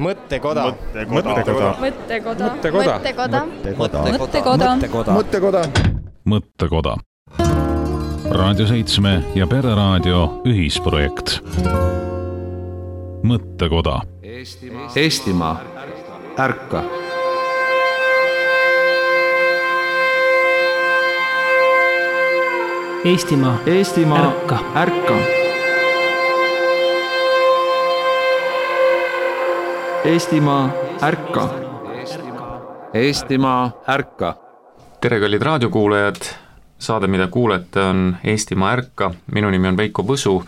Mõttekoda. Raadio 7 ja Pereraadio ühisprojekt. Mõttekoda. Eestimaa, ärka! Eestimaa, ärka! Ärka! Eestimaa, ärka! Eestimaa, ärka! Tere, kallid raadiokuulajad! Saade, mida kuulete, on Eestimaa ärka. Minu nimi on Veiko Võsu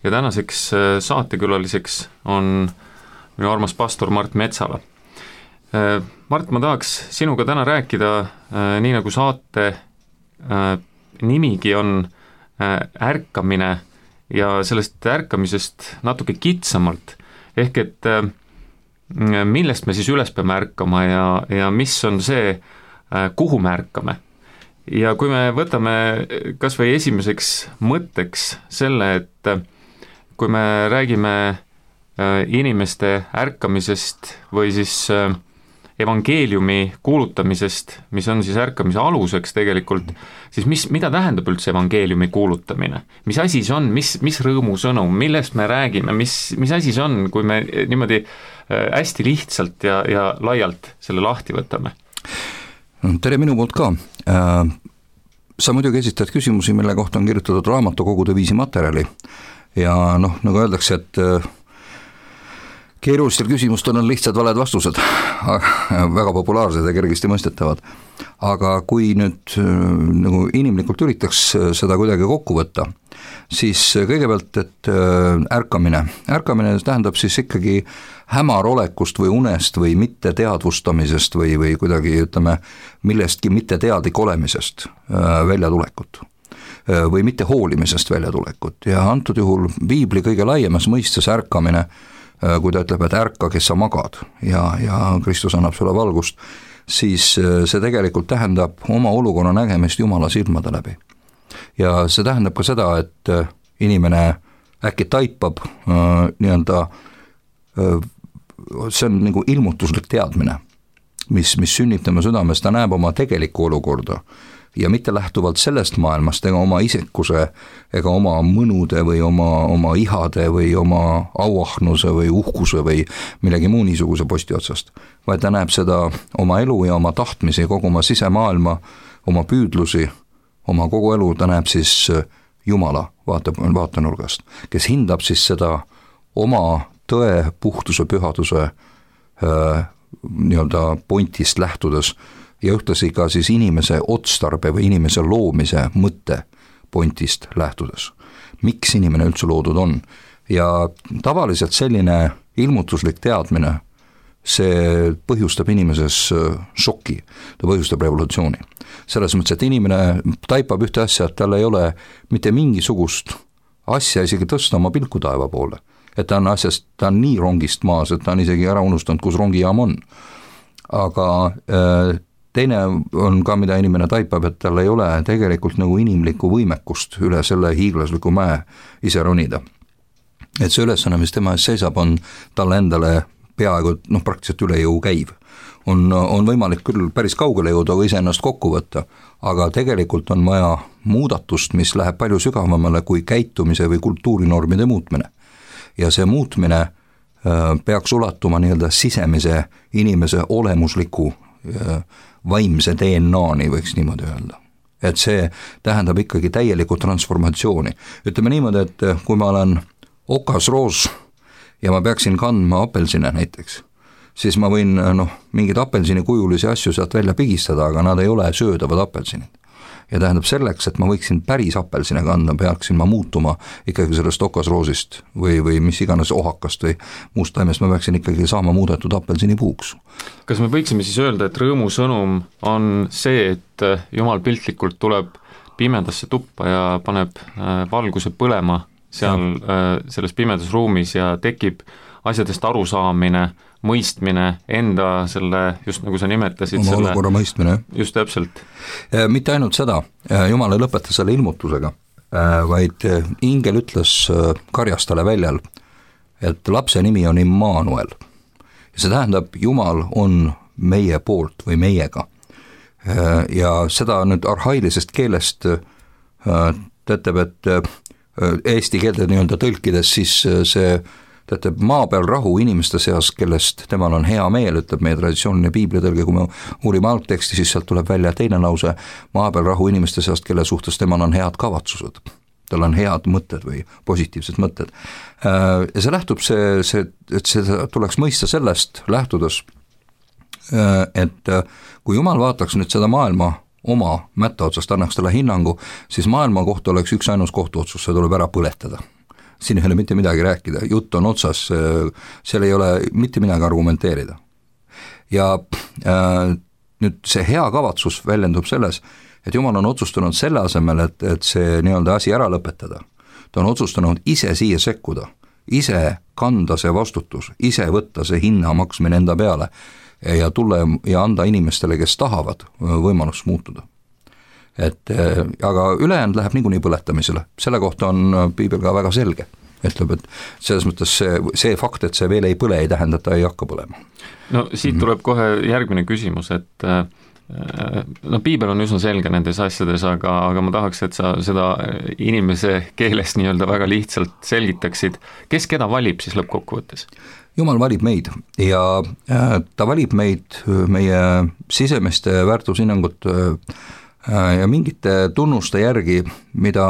ja tänaseks saatekülaliseks on minu armas pastor Mart Metsala. Mart, ma tahaks sinuga täna rääkida, nii nagu saate nimigi on ärkamine ja sellest ärkamisest natuke kitsamalt. Ehk et millest me siis üles peame ärkama ja mis on see, kuhu me ärkame. Ja kui me võtame kas või esimeseks mõtteks selle, et kui me räägime inimeste ärkamisest või siis evangeeliumi kuulutamisest, mis on siis ärkamise aluseks tegelikult, siis mida tähendab üldse evangeeliumi kuulutamine? Mis asi see on, mis rõõmusõnum, millest me räägime, mis asi see on, kui me niimoodi hästi lihtsalt ja laialt selle lahti võtame? Tere minu poolt ka. Sa muidugi esitad küsimusi, mille kohta on kirjutatud raamatukogude viisi materjali ja nagu öeldakse, et keerulistel küsimustel on lihtsad valed vastused, väga populaarsed ja kergesti mõistetavad. Aga kui nüüd nagu inimlikult üritaks seda kuidagi kokku võtta, siis kõigepealt, et ärkamine tähendab siis ikkagi hämarolekust või unest või mitte teadvustamisest või kuidagi, ütleme, millestki mitte teadlik olemisest väljatulekut või mitte hoolimisest väljatulekut. Ja antud juhul Piibli kõige laiemas mõistes ärkamine, kui ta ütleb, et ärka, kes sa magad ja Kristus annab sulle valgust, siis see tegelikult tähendab oma olukorra nägemist Jumala silmade läbi. Ja see tähendab ka seda, et inimene äkki taipab see on nagu ilmutuslik teadmine, mis sünnib tema südames, ta näeb oma tegelikku olukorda ja mitte lähtuvalt sellest maailmast ega oma isekuse ega oma mõnude või oma ihade või oma auahnuse või uhkuse või millegi muu niisuguse posti otsast, vaid ta näeb seda oma elu ja oma tahtmisi, kogu oma sisemaailma, oma püüdlusi, oma kogu elu, ta näeb siis Jumala vaatenurgast, kes hindab siis seda oma tõe, puhtuse, pühaduse nii-öelda pointist lähtudes ja ühtlasi ka siis inimese otstarbe või inimese loomise mõtte pointist lähtudes. Miks inimene üldse loodud on? Ja tavaliselt selline ilmutuslik teadmine, see põhjustab inimeses šoki, ta põhjustab revolutsiooni. Selles mõttes, et inimene taipab ühte asja, et tal ei ole mitte mingisugust asja isegi tõsta oma pilku taeva poole. Et ta on nii rongist maas, et ta on isegi ära unustanud, kus rongijaam on. Aga teine on ka, mida inimene taipab, et tal ei ole tegelikult nagu inimlikku võimekust üle selle hiiglasliku mäe ise ronida. Et see ülesanne, mis tema ees seisab, on talle endale peaaegu praktiliselt üle jõu käiv. On võimalik küll päris kaugele jõuda või iseennast kokku võtta, aga tegelikult on vaja muudatust, mis läheb palju sügavamale kui käitumise või kultuurinormide muutmine. Ja see muutmine peaks ulatuma nii-öelda sisemise inimese olemusliku vaimse DNA-ni, võiks niimoodi öelda. Et see tähendab ikkagi täielikku transformatsiooni. Ütleme niimoodi, et kui ma olen okasroos ja ma peaksin kandma apelsine näiteks, siis ma võin mingid apelsini kujulisi asju sealt välja pigistada, aga nad ei ole söödavad apelsinid. Ja tähendab selleks, et ma võiksin päris apelsine kanda, peaksin ma muutuma ikkagi sellest okasroosist või mis iganes ohakast või muust taimest, ma peaksin ikkagi saama muudetud apelsini puuks. Kas me võiksime siis öelda, et rõõmusõnum on see, et Jumal piltlikult tuleb pimedasse tuppa ja paneb valguse põlema seal selles pimedas ruumis ja tekib asjadest arusaamine, mõistmine, enda selle, just nagu sa nimetasid, oma olukorra mõistmine. Just täpselt. Mitte ainult seda, Jumal ei lõpeta selle ilmutusega, vaid ingel ütles karjastale väljal, et lapse nimi on Immanuel see tähendab, Jumal on meie poolt või meiega. Ja seda nüüd arhailisest keelest tähendab, et eesti keelde nii-öelda tõlkides siis see tähendab maa peal rahu inimeste seas, kellest temal on hea meel, ütleb meie traditsiooniline piiblitõlge, kui me uurime algteksti, siis sealt tuleb välja teine lause, maa peal rahu inimeste seast, kelle suhtes temal on head kavatsused. Tal on head mõtted või positiivsed mõtted. Ja see lähtub et seda tuleks mõista sellest lähtudes, et kui Jumal vaataks nüüd seda maailma oma mätta otsast, annaks talle hinnangu, siis maailma kohta oleks üks ainus kohtuotsus, see tuleb ära põletada. Siin ei ole mitte midagi rääkida, jutt on otsas, seal ei ole mitte midagi argumenteerida. Ja nüüd see hea kavatsus väljendub selles, et Jumal on otsustanud selle asemel, et see nii-öelda asi ära lõpetada. Ta on otsustanud ise siia sekkuda, ise kanda see vastutus, ise võtta see hinna maksmine enda peale ja tulla ja anda inimestele, kes tahavad, võimalus muutuda. Aga ülejäänud läheb niikuinii põletamisele, selle kohta on piibel ka väga selge, ütleb, et selles mõttes see fakt, et see veel ei põle, ei tähenda, et ta ei hakka põlema. No siit tuleb kohe järgmine küsimus, et piibel on üsna selge nendes asjades, aga ma tahaks, et sa seda inimese keeles nii-öelda väga lihtsalt selgitaksid, kes keda valib siis lõppkokkuvõttes? Jumal valib meid ja ta valib meid meie sisemiste väärtushinnangut ja mingite tunnuste järgi, mida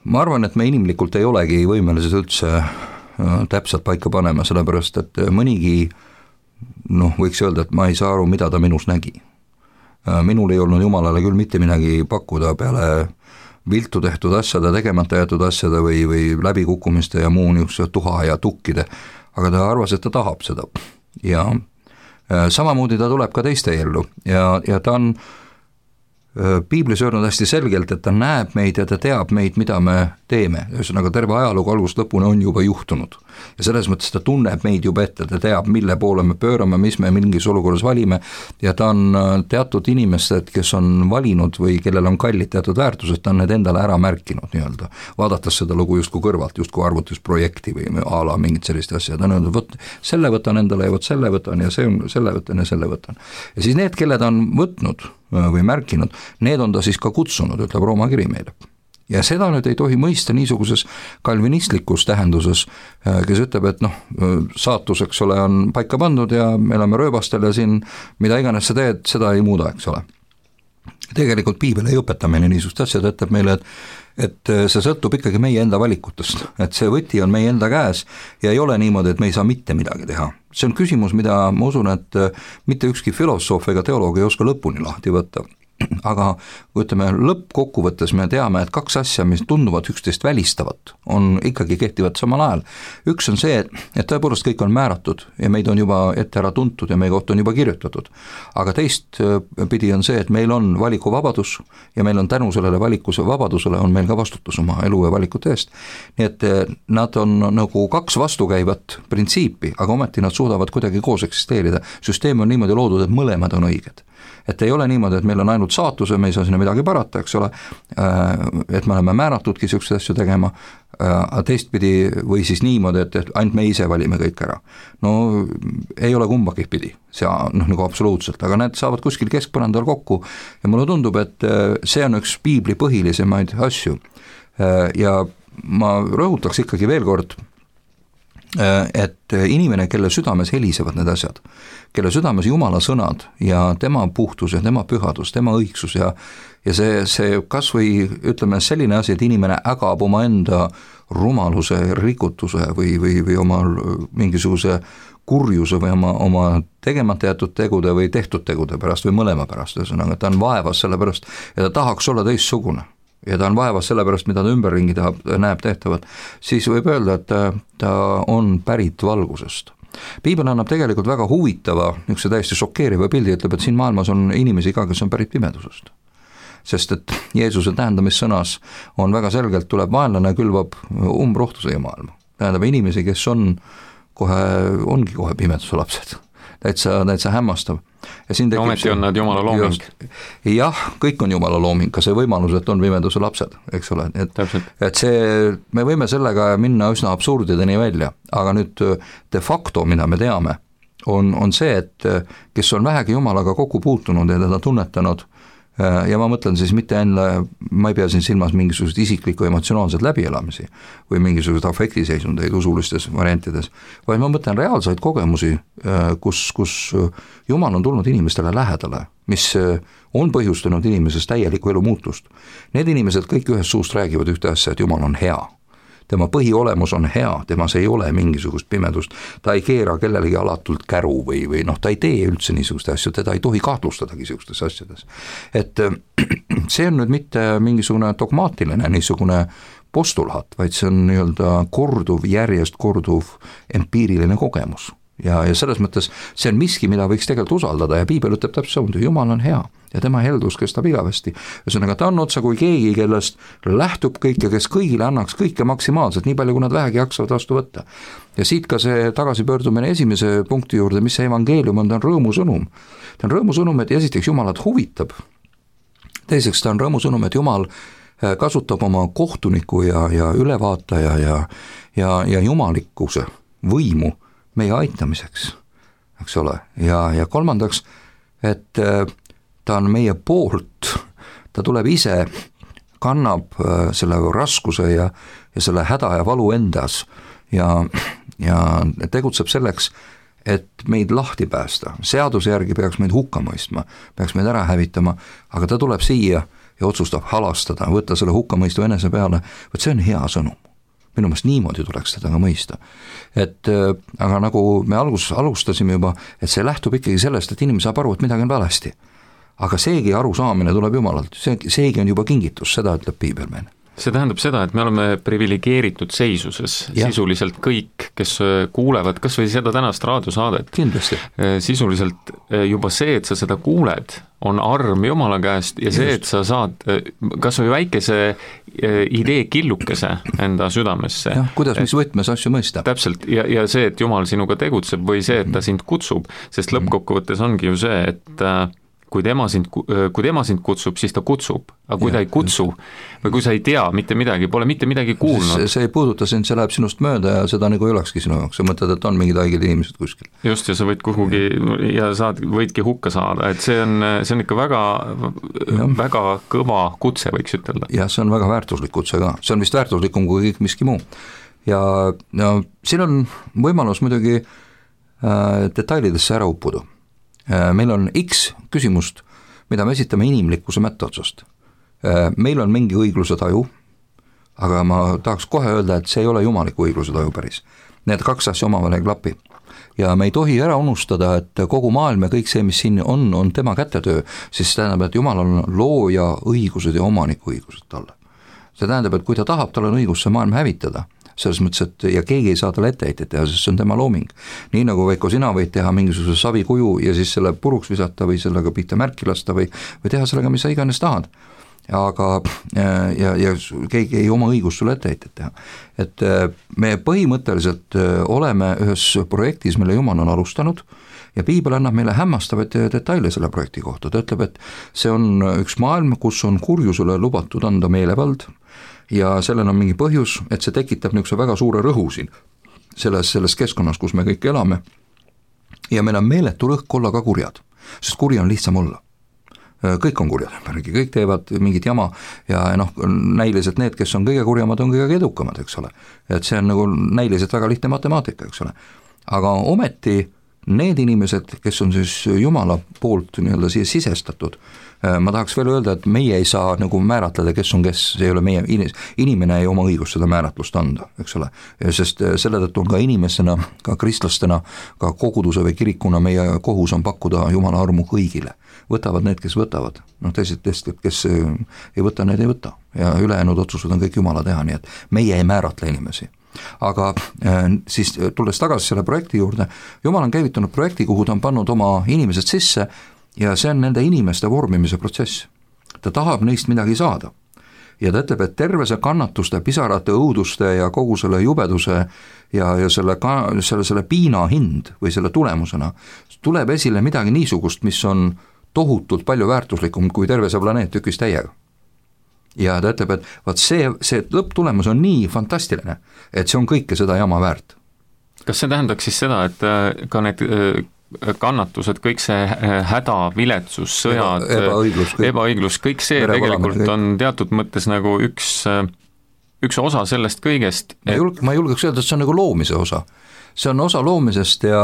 ma arvan, et me inimlikult ei olegi võimelised üldse täpselt paika panema, sellepärast et mõnigi võiks öelda, et ma ei saa aru, mida ta minus nägi. Minul ei olnud Jumalale küll mitte midagi pakkuda peale viltu tehtud asjade, tegemata jäetud asjade või läbikukkumiste ja muu niisuguse tuha ja tukkide, aga ta arvas, et ta tahab seda. Ja samamoodi ta tuleb ka teiste ellu ja ta on piiblis öelnud hästi selgelt, et ta näeb meid ja ta teab meid, mida me teeme. Ühesõnaga terve ajalugu algusest lõpuni on juba juhtunud. Ja selles mõttes ta tunneb meid juba ette, ta teab, mille poole me pöörame, mis me mingis olukorras valime ja ta on teatud inimesed, kes on valinud või kellel on kallid teatud väärtused, ta on need endale ära märkinud nii-öelda. Vaadates seda lugu justkui kõrvalt, justkui arvutusprojekti või ala mingit sellist asja, ta on öelnud, võt, selle võtan endale ja võt selle võtan ja selle võtan ja selle võtan. Ja siis need, kelle ta on võtnud või märkinud, need on ta siis ka kutsunud, ütleb Rooma kiri meile. Ja seda nüüd ei tohi mõista niisuguses kalvinistlikus tähenduses, kes ütleb, et saatus, eks ole, on paika pandud ja me oleme rööbastel ja siin mida iganes sa teed, seda ei muuda, eks ole. Tegelikult piibel ei õpeta meile niisugust asja, ta ütleb meile, et see sõltub ikkagi meie enda valikutest, et see võti on meie enda käes ja ei ole niimoodi, et me ei saa mitte midagi teha. See on küsimus, mida ma usun, et mitte ükski filosoof ega teoloog ei oska lõpuni lahti võtta. Aga kui ütleme, lõppkokkuvõttes me teame, et kaks asja, mis tunduvad üksteist välistavat, on ikkagi kehtivad samal ajal. Üks on see, et tõepoolest kõik on määratud ja meid on juba ette ära tuntud ja meie kohta on juba kirjutatud. Aga teist pidi on see, et meil on valikuvabadus ja meil on tänu sellele valikuse vabadusele on meil ka vastutus oma elu ja valikute eest. Nii et nad on nagu kaks vastukäivat printsiipi, aga ometi nad suudavad kuidagi koos eksisteerida. Süsteem on niimoodi loodud, et mõlemad on õiged. Et ei ole niimoodi, et meil on ainult saatus ja me ei saa sinna midagi parata, eks ole, et me oleme määratudki selliseid asju tegema, teistpidi või siis niimoodi, et ainult me ise valime kõik ära. No ei ole kumbagi pidi, see nagu absoluutselt, aga need saavad kuskil keskpõrandal kokku ja mulle tundub, et see on üks piibli põhilisemaid asju. Ja ma rõhutaks ikkagi veel kord, et inimene, kelle südames helisevad need asjad, kelle südames Jumala sõnad ja tema puhtus ja tema pühadus, tema õigsus ja see kas või ütleme selline asi, et inimene ägab oma enda rumaluse, rikutuse või oma mingisuguse kurjuse või oma tegemata jätud tegude või tehtud tegude pärast või mõlema pärast, ühesõnaga ta on vaevas selle pärast ja ta tahaks olla teistsugune ja ta on vaevas selle pärast, mida ta ümberringi näeb tehtavat, siis võib öelda, et ta on pärit valgusest. Piibel annab tegelikult väga huvitava, niisuguse täiesti šokeeriva pildi, ütleb, et siin maailmas on inimesi ka, kes on pärit pimedusest. Sest et Jeesuse tähendamissõnas on väga selgelt, tuleb vaenlane külvab umbrohtu siia maailma. Tähendab inimesi, kes ongi kohe pimeduse lapsed. täitsa hämmastav. Ja siin ometi on nad Jumala looming. Jah, kõik on Jumala looming, ka see võimalus, et on pimeduse lapsed, eks ole, et see, me võime sellega minna üsna absurdideni välja, aga nüüd de facto, mida me teame, on see, et kes on vähegi Jumalaga kokku puutunud ja teda tunnetanud, ja ma mõtlen siis mitte enne, ma ei pea siin silmas mingisugused isiklikku emotsionaalsed läbielamisi või mingisugused afektiseisundeid usulistes variantides, vaid ma mõtlen reaalseid kogemusi, kus Jumal on tulnud inimestele lähedale, mis on põhjustanud inimeses täielikku elu muutust. Need inimesed kõik ühest suust räägivad ühte asja, et Jumal on hea. Tema põhiolemus on hea, temas ei ole mingisugust pimedust, ta ei keera kellelegi alatult käru või ta ei tee üldse niisuguste asju, teda ei tohi kahtlustadagi niisugustes asjades. Et see on nüüd mitte mingisugune dogmaatiline niisugune postulaat, vaid see on järjest korduv empiiriline kogemus. Ja selles mõttes see on miski, mida võiks tegelikult usaldada ja Piibel ütleb täpselt samuti, Jumal on hea ja tema heldus kestab igavesti. Ühesõnaga ta on otsa kui keegi, kellest lähtub kõik ja kes kõigile annaks kõike maksimaalselt, nii palju kui nad vähegi jaksavad vastu võtta. Ja siit ka see tagasipöördumine esimese punkti juurde, mis see evangeelium on, ta on rõõmusõnum. Ta on rõõmusõnum, et esiteks Jumalat huvitab. Teiseks ta on rõõmusõnum, et Jumal kasutab oma kohtuniku ja ülevaataja ja jumalikkuse võimu meie aitamiseks, eks ole, ja kolmandaks, et ta on meie poolt, ta tuleb ise, kannab selle raskuse ja selle häda ja valu endas ja tegutseb selleks, et meid lahti päästa. Seaduse järgi peaks meid hukka mõistma, peaks meid ära hävitama, aga ta tuleb siia ja otsustab halastada, võtta selle hukkamõistu enese peale, võt see on hea sõnum. Minu meelest niimoodi tuleks teda ka mõista. Aga nagu me alustasime juba, et see lähtub ikkagi sellest, et inimene saab aru, et midagi on valesti. Aga seegi arusaamine tuleb Jumalalt, seegi on juba kingitus, seda ütleb Piibel meile. See tähendab seda, et me oleme privilegeeritud seisuses, sisuliselt kõik, kes kuulevad kas või seda tänast raadiosaadet. Kindlasti. Sisuliselt juba see, et sa seda kuuled, on arm Jumala käest ja see, et sa saad kas või väikese idee killukese enda südamesse. Jah, kuidas mis võtmes asju mõista. Täpselt, ja see, et Jumal sinuga tegutseb või see, et ta sind kutsub, sest lõppkokkuvõttes ongi ju see, et kui tema sind kutsub, siis ta kutsub, aga kui ta ei kutsu või kui sa ei tea mitte midagi, pole mitte midagi kuulnud. See ei puuduta sind, see läheb sinust mööda ja seda nagu ei olekski sinu jaoks, sa mõtled, et on mingid haiged inimesed kuskil. Just, ja sa võid kuhugi ja võidki hukka saada, et see on ikka väga kõva kutse, võiks ütelda. Jah, see on väga väärtuslik kutse ka, see on vist väärtuslikum kui kõik miski muu. Ja siin on võimalus muidugi detailidesse ära uppuda. Meil on X küsimust, mida me esitame inimlikkuse mätteotsast. Meil on mingi õigluse taju, aga ma tahaks kohe öelda, et see ei ole jumaliku õigluse taju päris. Need kaks asja omavahel ei klapi. Ja me ei tohi ära unustada, et kogu maailm ja kõik see, mis siin on tema kätetöö, siis tähendab, et Jumal on looja õigused ja omaniku õigused talle. See tähendab, et kui ta tahab, tal on õigus see maailm hävitada. Selles mõttes, et ja keegi ei saa talle etteheitet teha, sest see on tema looming. Nii nagu Veiko, sina võid teha mingisuguse savikuju ja siis selle puruks visata või sellega pihta märki lasta või teha sellega, mis sa iganes tahad. Aga ja keegi ei oma õigust sulle etteheitet teha. Et me põhimõtteliselt oleme ühes projektis, mille Jumal on alustanud ja Piibel annab meile hämmastavaid detaile selle projekti kohta. Ta ütleb, et see on üks maailm, kus on kurjusele lubatud anda meelevald ja sellel on mingi põhjus, et see tekitab niisuguse väga suure rõhu siin selles keskkonnas, kus me kõik elame ja meil on meeletu rõhk olla ka kurjad, sest kuri on lihtsam olla. Kõik on kurjad, kõik teevad mingit jama ja näiliselt need, kes on kõige kurjamad, on kõige edukamad, eks ole. Et see on nagu näiliselt väga lihtne matemaatika, eks ole. Aga ometi need inimesed, kes on siis Jumala poolt siia sisestatud, ma tahaks veel öelda, et meie ei saa nagu määratleda, kes on kes, see ei ole meie inimene ei oma õigust seda määratlust anda, eks ole, sest selle tõttu on ka inimestena, ka kristlastena, ka koguduse või kirikuna meie kohus on pakkuda Jumala armu kõigile. Võtavad need, kes võtavad, teised, kes ei võta, need ei võta ja ülejäänud otsused on kõik Jumala teha, nii et meie ei määratle inimesi. Aga siis tulles tagasi selle projekti juurde, Jumal on käivitanud projekti, kuhu ta on pannud oma inimesed sisse ja see on nende inimeste vormimise protsess. Ta tahab neist midagi saada. ja ta ütleb, et terve see kannatuste, pisarate, õuduste ja kogu selle jubeduse ja selle piina hind või selle tulemusena tuleb esile midagi niisugust, mis on tohutult palju väärtuslikum kui terve see planeet tükis täiega. Ja ta ütleb, et vaat see lõpptulemus on nii fantastiline, et see on kõike seda jama väärt. Kas see tähendaks siis seda, et ka need kannatused, kõik see häda, viletsus, sõjad, ebaõiglus, kõik see tegelikult on teatud mõttes nagu üks osa sellest kõigest. Ma julgeks öelda, et see on nagu loomise osa. See on osa loomisest ja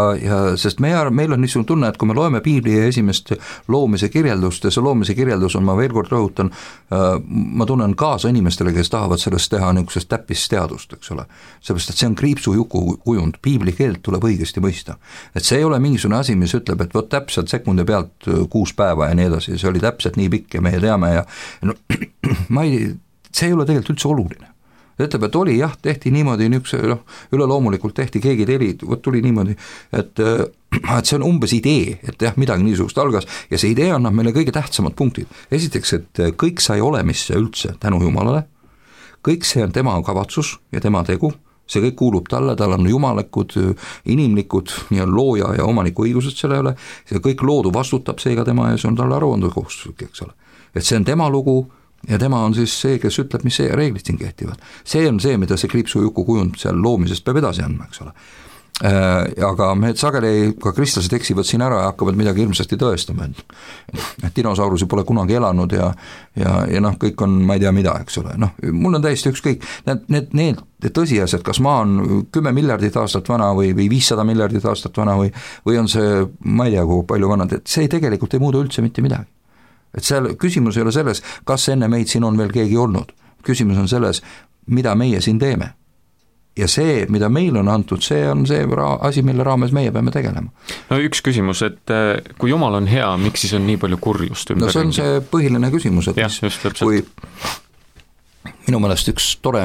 sest meil on niisugune tunne, et kui me loeme Piibli esimest loomise kirjeldust ja see loomise kirjeldus on, ma veel kord rõhutan, ma tunnen kaasa inimestele, kes tahavad sellest teha niisugusest täppisteadust, eks ole. Seepärast, et see on kriipsujuku kujund, Piibli keelt tuleb õigesti mõista. Et see ei ole mingisugune asi, mis ütleb, et võt täpselt sekundi pealt 6 päeva ja nii edasi, see oli täpselt nii pikk ja meie teame ja no, see ei ole tegelikult üldse oluline. Ta ütleb, et oli jah, tehti niimoodi, üleloomulikult tehti, keegi tuli niimoodi, et see on umbes idee, et jah, midagi niisugust algas ja see idee annab meile kõige tähtsamad punktid. Esiteks, et kõik sai olemisse üldse tänu Jumalale, kõik see on tema kavatsus ja tema tegu, see kõik kuulub talle, tal on jumalikud, inimlikud, nii on looja ja omaniku õigused selle üle, see kõik loodu vastutab seega tema ja see on talle aruandekohustuslik, eks ole. Et see on tema lugu, ja tema on siis see, kes ütleb, mis see reeglid siin kehtivad. See on see, mida see kriipsujuku kujund seal loomisest peab edasi andma, eks ole. Aga me sageli ka kristlased eksivad siin ära ja hakkavad midagi hirmsasti tõestama, et dinosaurusi pole kunagi elanud ja kõik on, ma ei tea mida, eks ole. Mul on täiesti ükskõik, need tõsiasjad, kas maa on 10 miljardit aastat vana või 500 miljardit aastat vana või on see, ma ei tea, kui palju vanad, et see tegelikult ei muuda üldse mitte midagi. Et seal küsimus ei ole selles, kas enne meid siin on veel keegi olnud. Küsimus on selles, mida meie siin teeme. Ja see, mida meil on antud, see on see asi, mille raames meie peame tegelema. No üks küsimus, et kui Jumal on hea, miks siis on nii palju kurjust ümber? No see on see põhiline küsimus, et jah, kui minu meelest üks tore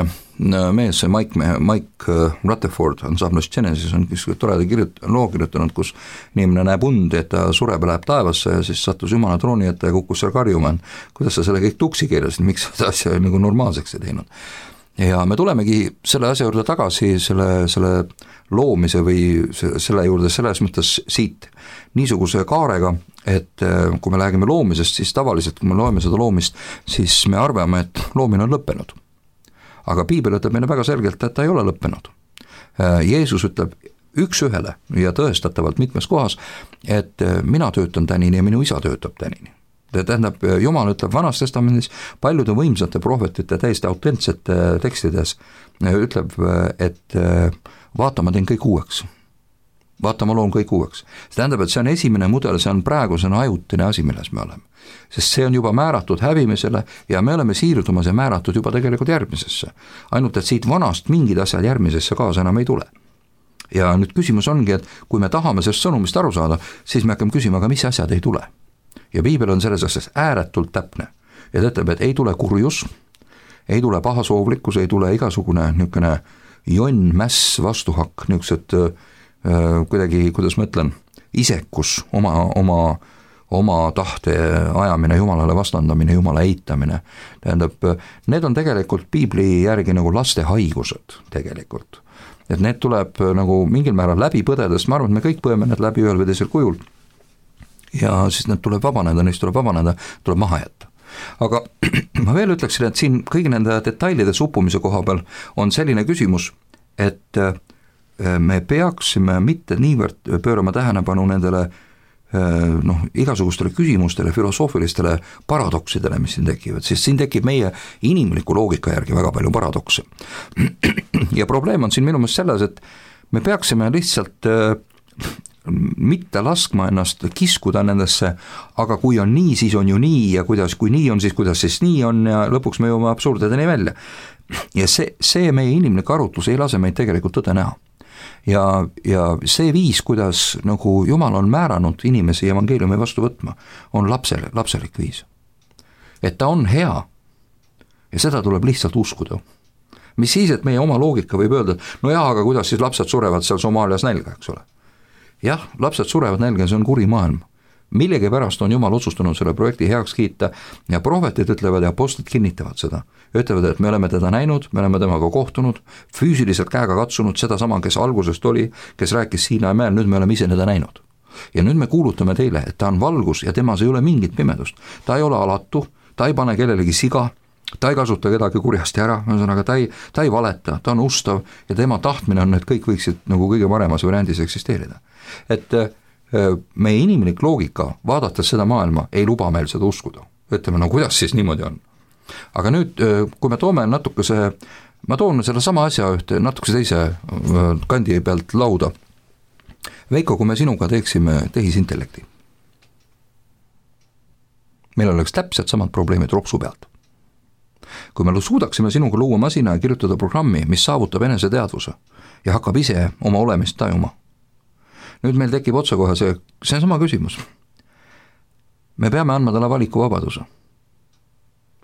mees, see Mike Rutherford ansamblist Genesis on toreda loo kirjutanud, kus inimene näeb undi, et ta sureb ja läheb taevasse ja siis sattus Jumala trooni ette ja kukkus seal karjuma, kuidas sa selle kõik tuksi keerasid, miks seda asja nagu normaalseks ei teinud. Ja me tulemegi selle asja juurde tagasi, selle loomise või selle juurde selles mõttes siit niisuguse kaarega, et kui me räägime loomisest, siis tavaliselt, kui me loeme seda loomist, siis me arvame, et loomine on lõppenud. Aga Piibel ütleb meile väga selgelt, et ta ei ole lõppenud. Jeesus ütleb üks-ühele ja tõestatavalt mitmes kohas, et mina töötan tänini ja minu isa töötab tänini. Tähendab, Jumal ütleb Vanas Testamendis paljude võimsate prohvetite täiesti autentsete tekstides, ütleb, et vaata, ma teen kõik uueks. Vaata, ma loon kõik uueks. See tähendab, et see on esimene mudel, see on praegusena ajutine asi, milles me oleme. Sest see on juba määratud hävimisele ja me oleme siirdumas ja määratud juba tegelikult järgmisesse. Ainult, et siit vanast mingid asjad järgmisesse kaasa enam ei tule. Ja nüüd küsimus ongi, et kui me tahame sellest sõnumist aru saada, siis me hakkame küsima, aga mis asjad ei tule. Ja Piibel on selles asjas ääretult täpne. Ja ta ütleb, et ei tule kurjus, ei tule pahasoovlikkus, ei tule igasugune niisugune jonn, mäss, vastuhakk, niisugused kuidagi, kuidas ma ütlen, isekus, oma tahte ajamine, Jumalale vastandamine, Jumala eitamine. Tähendab, need on tegelikult Piibli järgi nagu laste haigused tegelikult. Et need tuleb nagu mingil määral läbi põdedes, ma arvan, et me kõik põeme need läbi ühel või teisel kujul. Ja siis need tuleb vabaneda, neist tuleb vabaneda, tuleb maha jätta. Aga ma veel ütleksin, et siin kõigi nende detailide suppumise koha peal on selline küsimus, et me peaksime mitte niivõrd pöörama tähelepanu nendele igasugustele küsimustele, filosoofilistele paradoksidele, mis siin tekivad, sest siin tekib meie inimliku loogika järgi väga palju paradokse. Ja probleem on siin minu meelest selles, et me peaksime lihtsalt mitte laskma ennast kiskuda nendesse, aga kui on nii, siis on ju nii ja kui nii on, kuidas siis nii on ja lõpuks me jõuame absurdideni välja. Ja see meie inimlik arutlus ei lase meid tegelikult tõde näha. Ja see viis, kuidas nagu Jumal on määranud inimesi evangeeliumi vastu võtma, on lapselik viis. Et ta on hea ja seda tuleb lihtsalt uskuda. Mis siis, et meie oma loogika võib öelda, no jah, aga kuidas siis lapsed surevad seal Somaalias nälga, eks ole. Jah, lapsed surevad nälga, see on kuri maailm. millegipärast on Jumal otsustanud selle projekti heaks kiita ja prohvetid ütlevad ja apostlid kinnitavad seda. Ütlevad, et me oleme teda näinud, me oleme temaga kohtunud, füüsiliselt käega katsunud sedasama, kes algusest oli, kes rääkis Siinai mäel, nüüd me oleme ise teda näinud. Ja nüüd me kuulutame teile, et ta on valgus ja temas ei ole mingit pimedust. Ta ei ole alatu, ta ei pane kellelegi siga, ta ei kasuta kedagi kurjasti ära, ühesõnaga ta ei valeta, ta on ustav ja tema tahtmine on, et kõik võiksid nagu kõige paremas variandis eksisteerida. Et meie inimlik loogika, vaadates seda maailma, ei luba meil seda uskuda. Ütleme, no kuidas siis niimoodi on? Aga nüüd, kui me toome natukese, ma toon selle sama asja ühte natukese teise kandi pealt lauda. Veiko, kui me sinuga teeksime tehisintellekti, meil oleks täpselt samad probleemid ropsu pealt. Kui me suudaksime sinuga luua masina ja kirjutada programmi, mis saavutab eneseteadvuse ja hakkab ise oma olemist tajuma, nüüd meil tekib otsekohe see sama küsimus. Me peame andma talle valikuvabaduse.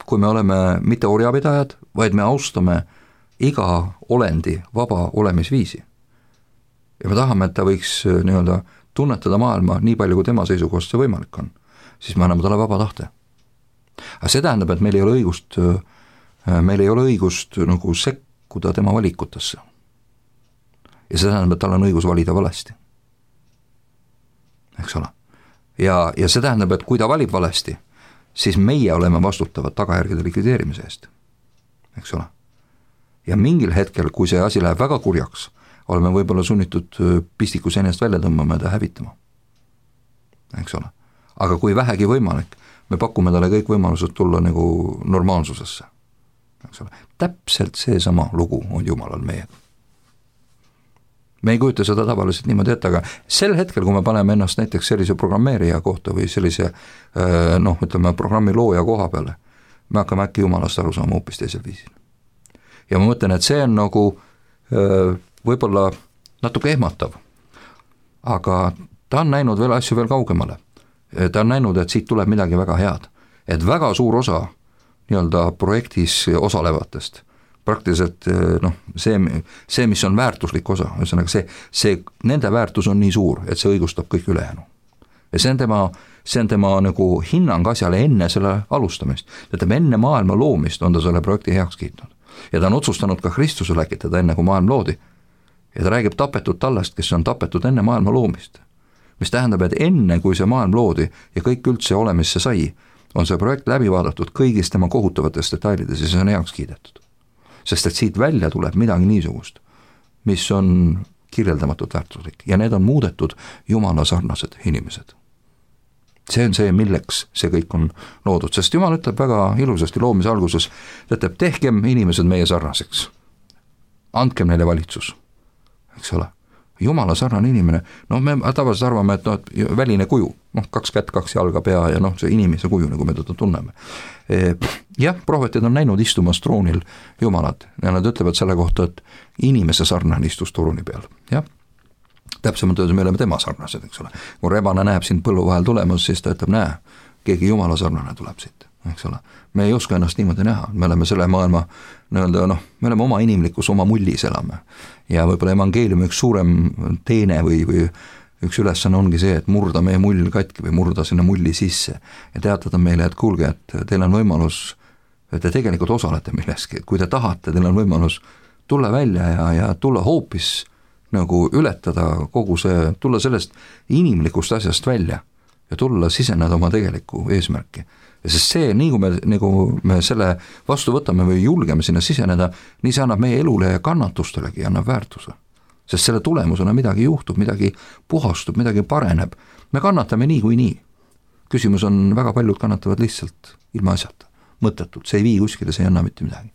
Kui me oleme mitte orjapidajad, vaid me austame iga olendi vaba olemisviisi. Ja me tahame, et ta võiks nii-öelda tunnetada maailma nii palju, kui tema seisukohast see võimalik on, siis me anname talle vaba tahte. Aga see tähendab, et meil ei ole õigust nagu sekkuda tema valikutesse. Ja see tähendab, et tal on õigus valida valesti. Eks ole. Ja see tähendab, et kui ta valib valesti, siis meie oleme vastutavad tagajärgede likvideerimise eest. Eks ole. Ja mingil hetkel, kui see asi läheb väga kurjaks, oleme võib-olla sunnitud pistikus ennast välja tõmbama ja ta hävitama. Eks ole. Aga kui vähegi võimalik, me pakume talle kõik võimalused tulla nagu normaalsusesse. Eks ole. Täpselt see sama lugu on Jumalal meiega. Me ei kujuta seda tavaliselt niimoodi ette, aga sel hetkel, kui me paneme ennast näiteks sellise programmeerija kohta või sellise ütleme, programmi looja koha peale, me hakkame äkki Jumalast aru saama hoopis teisel viisil. Ja ma mõtlen, et see on nagu võib-olla natuke ehmatav, aga ta on näinud veel asju veel kaugemale. Ta on näinud, et siit tuleb midagi väga head, et väga suur osa nii-öelda projektis osalevatest praktiliselt see, mis on väärtuslik osa, ühesõnaga see nende väärtus on nii suur, et see õigustab kõik ülejäänu. Ja see on tema nagu hinnang asjale enne selle alustamist. Tähendab, enne maailma loomist on ta selle projekti heaks kiitnud. Ja ta on otsustanud ka Kristuse läkitada enne, kui maailm loodi. Ja ta räägib tapetud tallest, kes on tapetud enne maailma loomist. Mis tähendab, et enne, kui see maailm loodi ja kõik üldse olemisse sai, on see projekt läbi vaadatud kõigist tema kohutavates detailides ja see on heaks kiidetud. Sest et siit välja tuleb midagi niisugust, mis on kirjeldamatult väärtuslik ja need on muudetud Jumala sarnased inimesed. See on see, milleks see kõik on loodud, sest Jumal ütleb väga ilusasti loomise alguses, ütleb, tehkem inimesed meie sarnaseks, andkem neile valitsus, eks ole. Jumala sarnane inimene, me tavaliselt arvame, et väline kuju, 2 kätt, 2 jalga, pea ja see inimese kuju, nagu me teda tunneme. Jah, prohvetid on näinud istumas troonil Jumalat ja nad ütlevad selle kohta, et inimese sarnane istus trooni peal, jah. Täpsemalt öeldes me oleme tema sarnased, eks ole. Kui rebane näeb sind põllu vahel tulemas, siis ta ütleb, näe, keegi Jumala sarnane tuleb siit, eks ole. Me ei oska ennast niimoodi näha, me oleme selle maailma me oleme oma inimlikus, oma mullis elame ja võib-olla evangeeliumi üks suurem teene või üks ülesanne ongi see, et murda meie mull katki või murda sinna mulli sisse ja teatada meile, et kuulge, et teil on võimalus, et te tegelikult osalete milleski, et kui te tahate, teil on võimalus tulla välja ja tulla hoopis nagu ületada kogu see, tulla sellest inimlikust asjast välja ja tulla siseneda oma tegelikku eesmärki. Ja sest see, nii kui me selle vastu võtame või julgeme sinna siseneda, nii see annab meie elule ja kannatustelegi annab väärtuse. Sest selle tulemusena midagi juhtub, midagi puhastub, midagi pareneb. Me kannatame nii kui nii. Küsimus on, väga paljud kannatavad lihtsalt ilma asjata, mõttetult, see ei vii kuskile, see ei anna mitte midagi.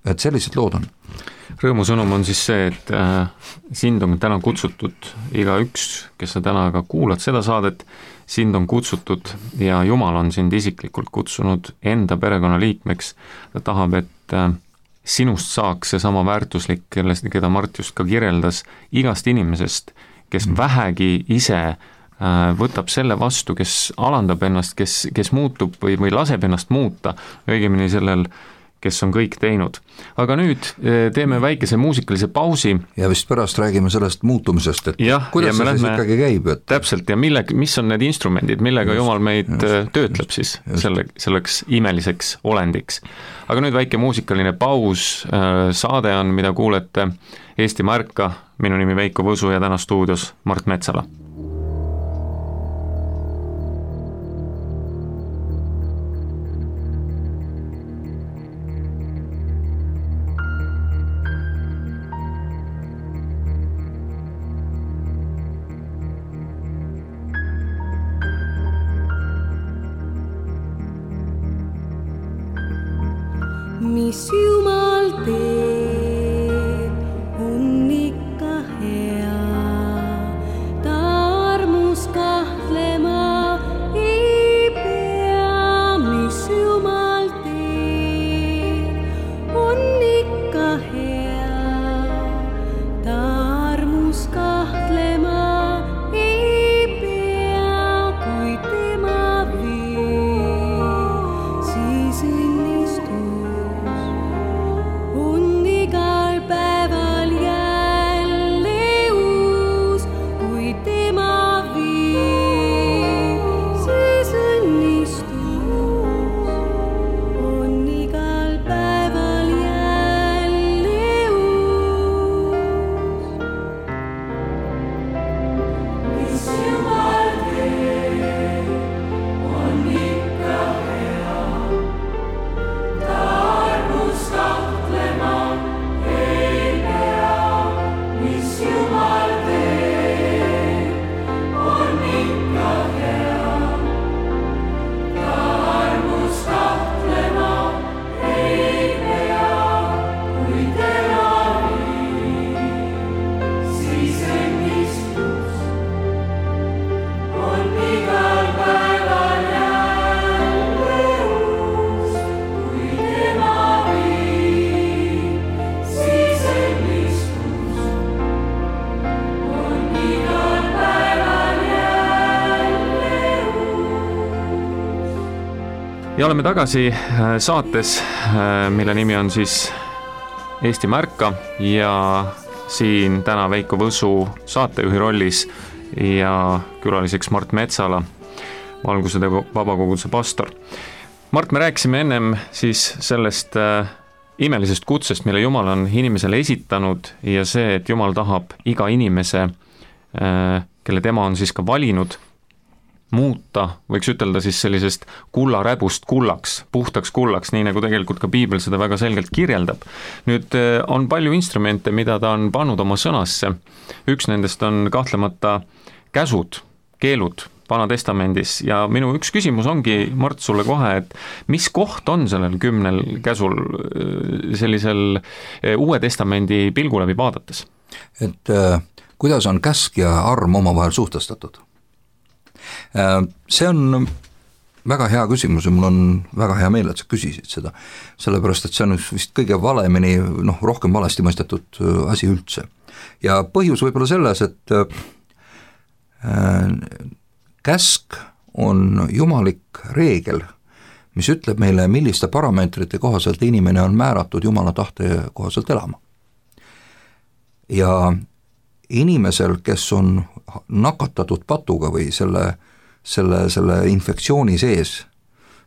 Et sellised lood on. Rõõmusõnum on siis see, et sind on täna kutsutud igaüks, kes sa täna ka kuulad seda saadet, sind on kutsutud ja Jumal on sind isiklikult kutsunud enda perekonna liikmeks. Ta tahab, et sinust saaks see sama väärtuslik, keda Mart just ka kirjeldas, igast inimesest, kes vähegi ise võtab selle vastu, kes alandab ennast, kes muutub või laseb ennast muuta, õigemini sellel kes on kõik teinud. Aga nüüd teeme väikese muusikalise pausi. Ja vist pärast räägime sellest muutumisest, et jah, kuidas see siis ikkagi käib? Et... Täpselt, ja mis on need instrumendid, millega Jumal meid töötleb siis selleks imeliseks olendiks. Aga nüüd väike muusikaline paus, saade on, mida kuulete Eestimaa ärka, minu nimi Veiko Võsu ja täna stuudios Mart Metsala. Mis Jumal teeb, on ikka hea, ta armus kahtlema ei pea. Mis Jumal teeb, on ikka hea, ta armus kahtlema ei pea. Kui tema viib, siis ja oleme tagasi saates, mille nimi on siis Eestimaa ärka ja siin täna Veiko Võsu saatejuhi rollis ja külaliseks Mart Metsala, Valguse vabakoguduse pastor. Mart, me rääkisime ennem siis sellest imelisest kutsest, mille Jumal on inimesele esitanud ja see, et Jumal tahab iga inimese, kelle tema on siis ka valinud, muuta, võiks ütelda siis sellisest kullaräbust kullaks, puhtaks kullaks, nii nagu tegelikult ka Piibel seda väga selgelt kirjeldab. Nüüd on palju instrumente, mida ta on pannud oma sõnasse. Üks nendest on kahtlemata käsud, keelud Vana Testamendis ja minu üks küsimus ongi, Mart, sulle kohe, et mis koht on sellel 10 käsul sellisel Uue Testamendi pilgu läbi vaadates? Et kuidas on käsk ja arm omavahel suhtestatud? See on väga hea küsimus ja mul on väga hea meel, et sa küsisid seda, sellepärast et see on vist kõige valemini, rohkem valesti mõistetud asi üldse. Ja põhjus võib-olla selles, et käsk on jumalik reegel, mis ütleb meile, milliste parameetrite kohaselt inimene on määratud Jumala tahte kohaselt elama. Ja inimesel, kes on nakatatud patuga või selle infektsiooni sees,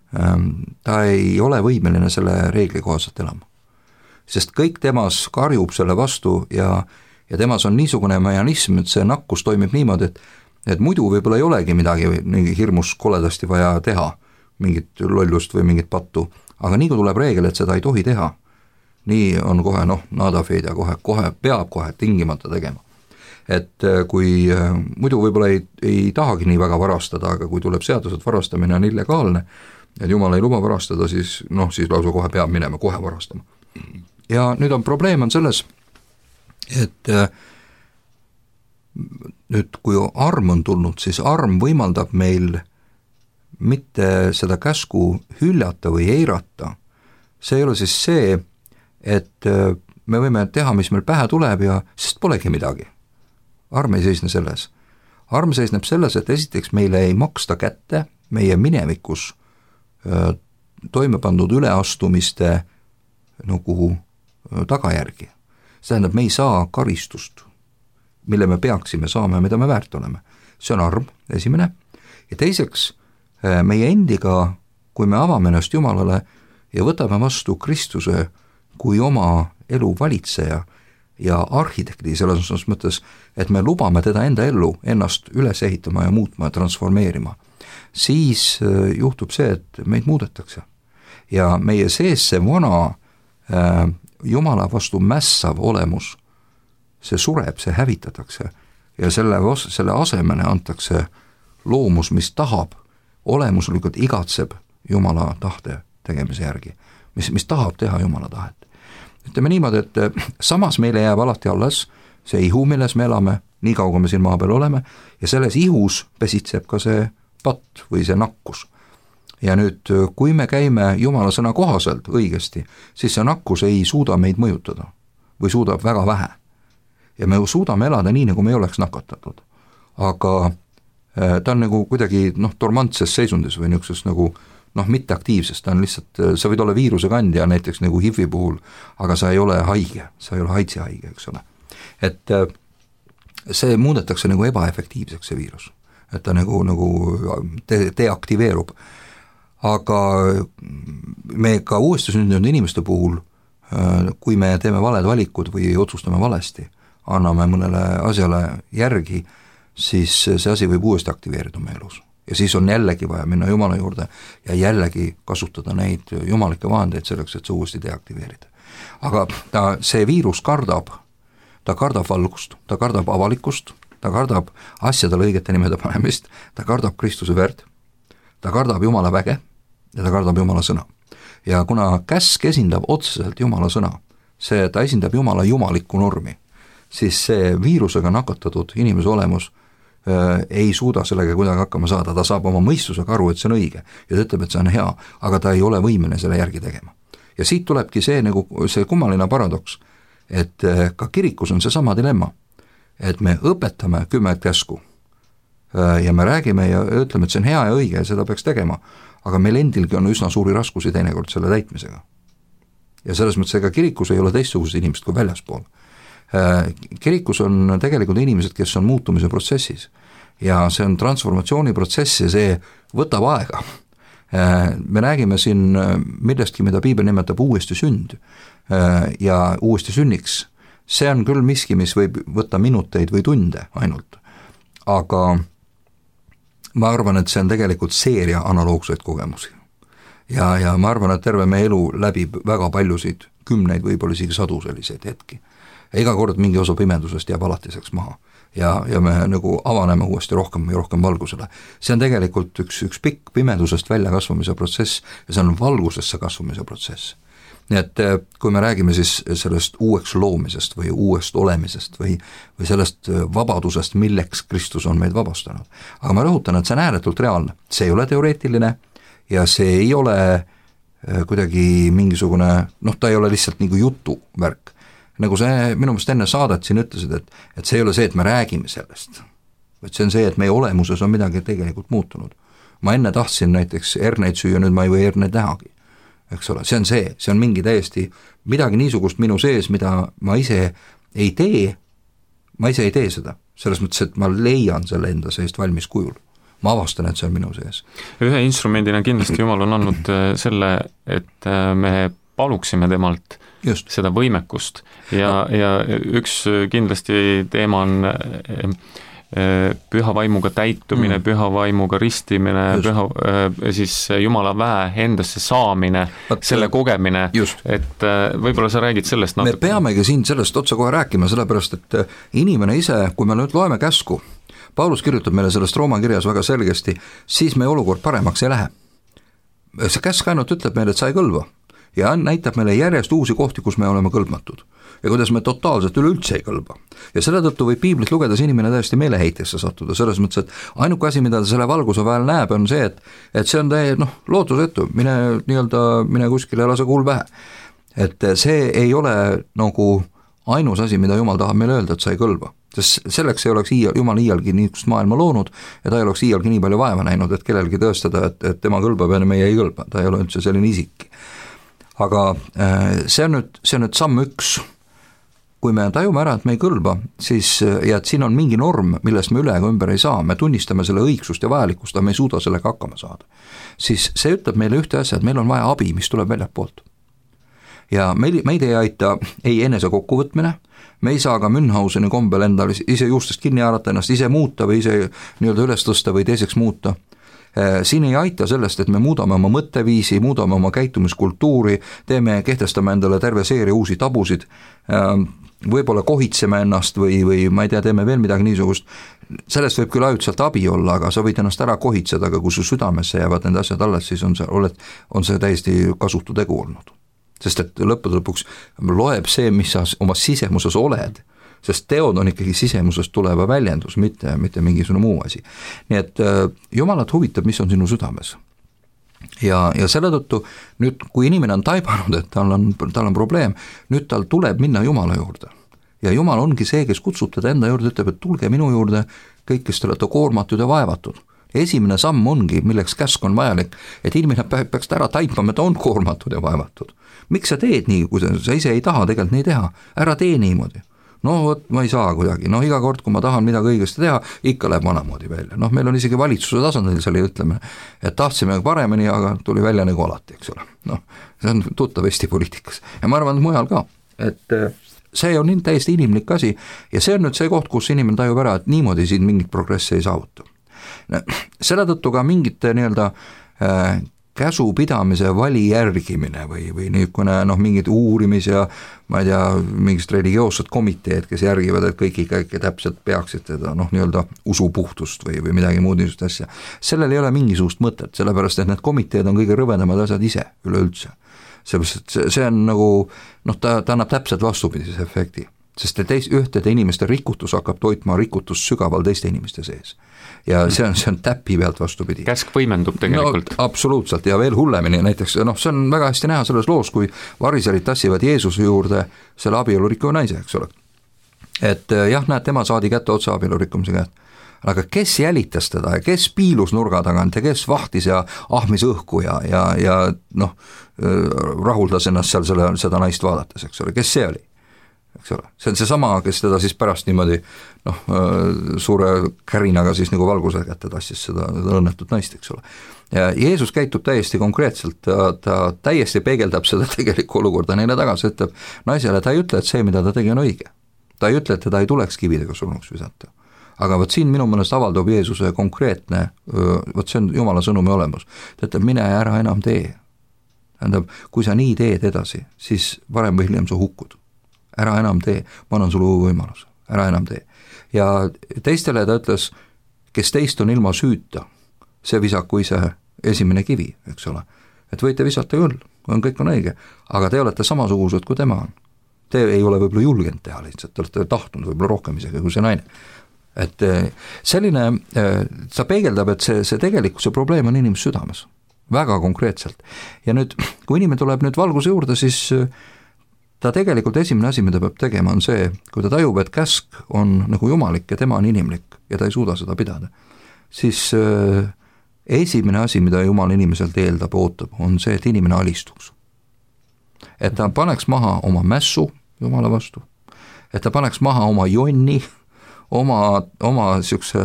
ta ei ole võimeline selle reegli kohaselt elama. Sest kõik temas karjub selle vastu ja temas on niisugune mehhanism, et see nakkus toimib niimoodi, et muidu võib-olla ei olegi midagi hirmus koledasti vaja teha, mingit lollust või mingit pattu, aga nii kui tuleb reegel, et seda ei tohi teha, nii on kohe nada fede ja kohe peab kohe tingimata tegema. Et kui muidu võib-olla ei tahagi nii väga varastada, aga kui tuleb seadus, et varastamine on illegaalne, et Jumal ei luba varastada, siis lausa kohe peab minema, kohe varastama. Ja nüüd probleem on selles, et nüüd kui arm on tulnud, siis arm võimaldab meil mitte seda käsku hüljata või eirata. See ei ole siis see, et me võime teha, mis meil pähe tuleb ja sest polegi midagi. Arm ei seisne selles. Arm seisneb selles, et esiteks meile ei maksta kätte meie minevikus toime pandud üleastumiste nagu tagajärgi. See tähendab, me ei saa karistust, mille me peaksime saama ja mida me väärt oleme. See on arm, esimene, ja teiseks meie endiga, kui me avame ennast Jumalale ja võtame vastu Kristuse kui oma elu valitseja ja arhitekti selles mõttes, et me lubame teda enda ellu ennast üles ehitama ja muutma ja transformeerima, siis juhtub see, et meid muudetakse. Ja meie sees see vana Jumala vastu mässav olemus, see sureb, see hävitatakse ja selle asemene antakse loomus, mis tahab, olemuslikult igatseb Jumala tahte tegemise järgi, mis tahab teha Jumala tahet. Ütleme niimoodi, et samas meile jääb alati alles see ihu, milles me elame, nii kaua me siin maa peal oleme, ja selles ihus pesitseb ka see patt või see nakkus. Ja nüüd, kui me käime Jumala sõna kohaselt õigesti, siis see nakkus ei suuda meid mõjutada või suudab väga vähe. Ja me suudame elada nii, nagu me ei oleks nakatatud. Aga ta on nagu kuidagi dormantses seisundis või niisuguses nagu mitteaktiivses, ta on lihtsalt, sa võid olla viiruse kandja näiteks nagu HIV-i puhul, aga sa ei ole haige, sa ei ole haitsi haige, eks ole. Et see muudetakse nagu ebaefektiivseks, see viirus, et ta nagu deaktiveerub. Aga me ka uuesti sündinud inimeste puhul, kui me teeme valed valikud või otsustame valesti, anname mõnele asjale järgi, siis see asi võib uuesti aktiveerida meie elus. Ja siis on jällegi vaja minna Jumala juurde ja jällegi kasutada neid jumalikke vahendeid selleks, et see uuesti deaktiveerida. Aga see viirus kardab, ta kardab valgust, ta kardab avalikkust, ta kardab asjadele õigete nimede panemist, ta kardab Kristuse verd, ta kardab Jumala väge ja ta kardab Jumala sõna. Ja kuna käsk esindab otseselt Jumala sõna, ta esindab Jumala jumalikku normi, siis see viirusega nakatatud inimese olemus ei suuda sellega kuidagi hakkama saada, ta saab oma mõistusega aru, et see on õige ja ta ütleb, et see on hea, aga ta ei ole võimeline selle järgi tegema. Ja siit tulebki see kummaline paradoks, et ka kirikus on see sama dilemma, et me õpetame 10 käsku ja me räägime ja ütleme, et see on hea ja õige ja seda peaks tegema, aga meil endilgi on üsna suuri raskusi teinekord selle täitmisega. Ja selles mõttes, ega kirikus ei ole teistsugused inimesed kui väljaspool. Kirikus on tegelikult inimesed, kes on muutumise protsessis ja see on transformatsiooniprotsess ja see võtab aega. Me räägime siin millestki, mida Piibel nimetab uuesti sünd ja uuesti sünniks. See on küll miski, mis võib võtta minuteid või tunde ainult, aga ma arvan, et see on tegelikult seeria analoogseid kogemusi. Ja ma arvan, et terve meie elu läbib väga paljusid, kümneid, võib-olla isegi sadu selliseid hetki. Ja iga kord mingi osa pimedusest jääb alatiseks maha ja me nagu avaneme uuesti rohkem ja rohkem valgusele. See on tegelikult üks pikk pimedusest välja kasvamise protsess ja see on valgusesse kasvamise protsess. Nii et kui me räägime siis sellest uueks loomisest või uuest olemisest või sellest vabadusest, milleks Kristus on meid vabastanud. Aga ma rõhutan, et see on ääretult reaalne. See ei ole teoreetiline ja see ei ole kuidagi mingisugune, ta ei ole lihtsalt nagu jutu värk. Nagu see minu meelest enne saadet siin ütlesid, et see ei ole see, et me räägime sellest, vaid see on see, et meie olemuses on midagi tegelikult muutunud. Ma enne tahtsin näiteks herneid süüa, nüüd ma ei või herneid nähagi, eks ole, see on mingi täiesti midagi niisugust minu sees, mida ma ise ei tee seda, selles mõttes, et ma leian selle enda seest valmis kujul. Ma avastan, et see on minu sees. Ühe instrumendina kindlasti Jumal on andnud selle, et me paluksime temalt just seda võimekust ja üks kindlasti teema on püha vaimuga täitumine, püha vaimuga ristimine, siis Jumala väe endasse saamine, selle kogemine, et võib-olla sa räägid sellest natuke. Me peamegi siin sellest otsa kohe rääkima, sellepärast et inimene ise, kui me nüüd loeme käsku, Paulus kirjutab meile sellest Rooma kirjas väga selgesti, siis meie olukord paremaks ei lähe. See käsk ainult ütleb meile, et sa ei kõlva ja näitab meile järjest uusi kohti, kus me oleme kõlbmatud ja kuidas me totaalselt üleüldse ei kõlba. Ja selle tõttu võib piiblit lugedes inimene täiesti meeleheitesse sattuda, selles mõttes, et ainuke asi, mida ta selle valguse vahel näeb, on see, et see on lootusetu, mine kuskile ja lase kuul pähe. Et see ei ole nagu ainus asi, mida Jumal tahab meile öelda, et sa ei kõlba. Sest selleks ei oleks Jumal iialgi niisugust maailma loonud ja ta ei oleks iialgi nii palju vaeva näinud, et kellelgi tõestada, et tema kõlbab ja meie ei kõlba, ta ei ole üldse selline isik. aga see on nüüd samm üks. Kui me tajume ära, et me ei kõlba, siis, ja et siin on mingi norm, millest me üle ega ümber ei saa, me tunnistame selle õigsust ja vajalikkust, aga me ei suuda sellega hakkama saada, siis see ütleb meile ühte asja, et meil on vaja abi, mis tuleb väljalt poolt. Ja meid ei aita ei enese kokkuvõtmine, me ei saa ka Münchhauseni kombel endal ise juustest kinni haarata, ennast ise muuta või ise nii-öelda üles tõsta või teiseks muuta. Siin ei aita sellest, et me muudame oma mõtteviisi, muudame oma käitumiskultuuri, kehtestame endale terve seeria uusi tabusid, võib-olla kohitseme ennast või ma ei tea, teeme veel midagi niisugust, sellest võib küll ajutiselt abi olla, aga sa võid ennast ära kohitseda, aga kui su südamesse jäävad need asjad alles, siis on see täiesti kasutu tegu olnud. Sest et lõppude lõpuks loeb see, mis sa oma sisemuses oled, sest teod on ikkagi sisemusest tuleva väljendus, mitte mingisugune muu asi. Nii et Jumalat huvitab, mis on sinu südames. Ja selle tõttu nüüd, kui inimene on taibanud, et tal on probleem, nüüd tal tuleb minna Jumala juurde. Ja Jumal ongi see, kes kutsub teda enda juurde, ütleb, et tulge minu juurde, kõik, kes te olete koormatud ja vaevatud. Esimene samm ongi, milleks käsk on vajalik, et inimene peaks ära taipama, et on koormatud ja vaevatud. Miks sa teed nii, kui sa ise ei taha tegelikult nii teha? Ära tee niimoodi. No vot, ma ei saa kuidagi, iga kord, kui ma tahan midagi õigesti teha, ikka läheb vanamoodi välja. Meil on isegi valitsuse tasandil selle ütleme, et tahtsime paremini, aga tuli välja nagu alati, eks ole. See on tuttav Eesti poliitikas ja ma arvan, et mujal ka, et see on täiesti inimlik asi ja see on nüüd see koht, kus inimene tajub ära, et niimoodi siin mingit progressi ei saavuta. Selle tõttu ka mingite nii-öelda käsupidamise vali järgimine või niisugune mingid uurimis ja ma ei tea, mingist religioossed komiteed, kes järgivad, et kõik ikka täpselt peaksid teda nii-öelda usupuhtust või midagi muud niisugust asja. Sellel ei ole mingisugust mõtet, sellepärast et need komiteed on kõige rõvedamad asjad ise üleüldse. See on nagu, ta annab täpselt vastupidise efekti, sest ühtede inimeste rikutus hakkab toitma rikutust sügaval teiste inimeste sees. Ja see on täpi pealt vastupidi. Käsk võimendub tegelikult. Absoluutselt ja veel hullemini, näiteks see on väga hästi näha selles loos, kui variserid tassivad Jeesuse juurde selle abielurikkuva naise, eks ole. Et jah, näed, tema saadi kätte otsa abielurikkumise käest. Aga kes jälitas teda ja kes piilus nurga tagant ja kes vahtis ja ahmis õhku ja rahuldas ennast seal seda naist vaadates, eks ole, kes see oli? Eks ole. See on see sama, kes teda siis pärast niimoodi suure kärinaga siis nagu valguse kätte tassis seda õnnetut naist, eks ole. Ja Jeesus käitub täiesti konkreetselt, ta täiesti peegeldab seda tegelikku olukorda neile tagasi, ütleb naisele, ta ei ütle, et see, mida ta tegi, on õige. Ta ei ütle, et teda ei tuleks kividega surnuks visata. Aga võt siin minu mõnest avaldub Jeesuse konkreetne, võt see on Jumala sõnumi olemus. Ta ütleb, mine ära enam tee. Tähendab, kui sa nii teed edasi, siis varem või hiljem sa hukkud. Ära enam tee, ma annan sulle uue võimaluse, ära enam tee. Ja teistele ta ütles, kes teist on ilma süüta, see visaku ise esimene kivi, eks ole. Et võite visata küll, kõik on õige, aga te olete samasugused, kui tema on. Te ei ole võib-olla julgenud teha lihtsalt, te olete tahtnud võib-olla rohkem isegi kui see naine. Et selline, ta peegeldab, et see tegelikult see probleem on inimese südames, väga konkreetselt. Ja nüüd, kui inimene tuleb nüüd valguse juurde, siis ta tegelikult esimene asi, mida peab tegema, on see, kui ta tajub, et käsk on nagu jumalik ja tema on inimlik ja ta ei suuda seda pidada, siis esimene asi, mida Jumal inimeselt eeldab, ootab, on see, et inimene alistuks. Et ta paneks maha oma mässu Jumala vastu, et ta paneks maha oma jonni, oma siukse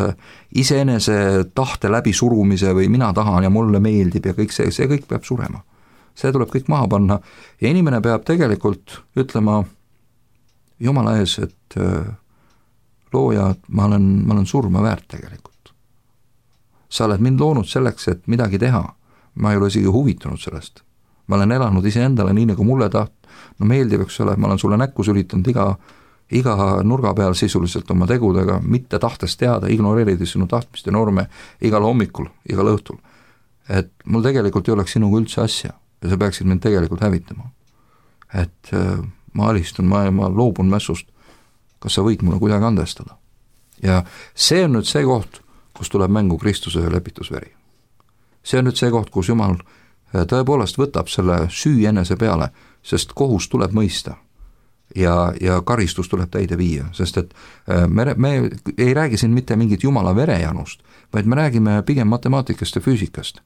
iseenese tahte läbi surumise või mina tahan ja mulle meeldib ja kõik see kõik peab surema. See tuleb kõik maha panna ja inimene peab tegelikult ütlema Jumala ees, et looja, ma olen surma väärt tegelikult. Sa oled mind loonud selleks, et midagi teha. Ma ei ole isegi huvitunud sellest. Ma olen elanud iseendale nii, nagu mulle meeldib, eks ole, ma olen sulle näkku sülitanud iga nurga peal sisuliselt oma tegudega, mitte tahtes teada, ignoreerides sinu tahtmiste norme igal hommikul, igal õhtul. Et mul tegelikult ei oleks sinuga üldse asja ja sa peaksid mind tegelikult hävitama. Et ma alistun, ma loobun mässust, kas sa võid mulle kuidagi andestada. Ja see on nüüd see koht, kus tuleb mängu Kristuse lepitusveri. See on nüüd see koht, kus Jumal tõepoolest võtab selle süü enese peale, sest kohus tuleb mõista ja karistus tuleb täide viia, sest et me ei räägi siin mitte mingit Jumala verejanust, vaid me räägime pigem matemaatikast ja füüsikast.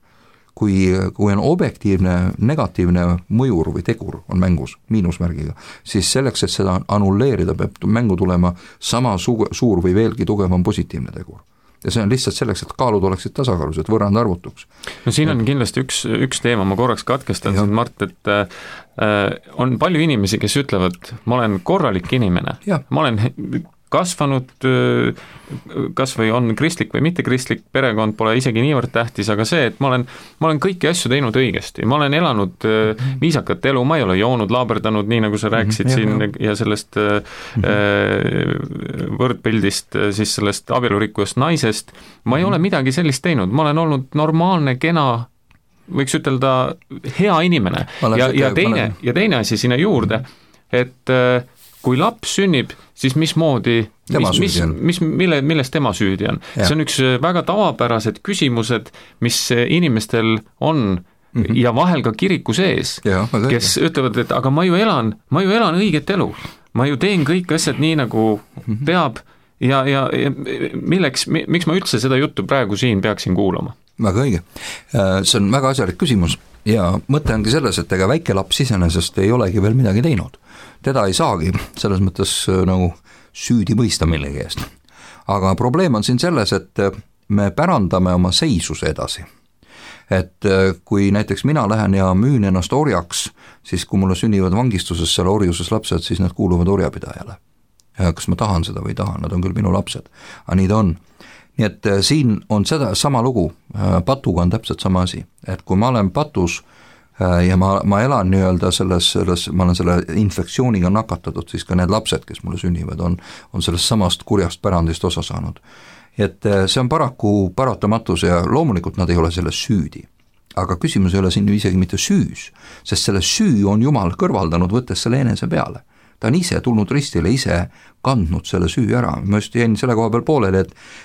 kui on objektiivne negatiivne mõjur või tegur on mängus miinusmärgiga, siis selleks, et seda annulleerida, peab mängu tulema sama suur või veelgi tugevam positiivne tegur. Ja see on lihtsalt selleks, et kaalud oleksid tasakaalus, et võrrand arvutuks. No siin on kindlasti üks teema, ma korraks katkestan siin, Mart, et on palju inimesi, kes ütlevad, ma olen korralik inimene, ma olen kasvanud, kas või on kristlik või mitte kristlik, perekond pole isegi niivõrd tähtis, aga see, et ma olen kõiki asju teinud õigesti, ma olen elanud viisakat elu, ma ei ole joonud, laaberdanud, nii nagu sa rääkisid siin ja sellest võrdpildist, siis sellest abielurikkujast naisest, ma ei ole midagi sellist teinud, ma olen olnud normaalne, kena, võiks ütelda hea inimene ja teine asi sinna juurde, et kui laps sünnib, siis mismoodi, milles tema süüdi on. See on üks väga tavapärased küsimused, mis inimestel on ja vahel ka kiriku sees, kes ütlevad, et aga ma ju elan õiget elu, ma ju teen kõik asjad nii, nagu peab ja miks ma üldse seda juttu praegu siin peaksin kuulama? Väga õige. See on väga asjalik küsimus ja mõte ongi selles, et ega väike laps iseenesest ei olegi veel midagi teinud. Teda ei saagi selles mõttes nagu süüdi mõista millegi eest. Aga probleem on siin selles, et me pärandame oma seisuse edasi. Et kui näiteks mina lähen ja müün ennast orjaks, siis kui mulle sünnivad vangistuses seal orjuses lapsed, siis nad kuuluvad orjapidajale. Ja kas ma tahan seda või ei taha, nad on küll minu lapsed, aga nii ta on. Nii et siin on seda sama lugu, patuga on täpselt sama asi, et kui ma olen patus ja ma elan nii-öelda ma olen selle infektsiooniga nakatatud, siis ka need lapsed, kes mulle sünnivad, on sellest samast kurjast pärandist osa saanud. Et see on paraku paratamatus ja loomulikult nad ei ole selles süüdi. Aga küsimus ei ole siin isegi mitte süüs, sest selle süü on Jumal kõrvaldanud, võttes selle enese peale. Ta on ise tulnud ristile, ise kandnud selle süü ära. Ma just jäin selle koha peal pooleli,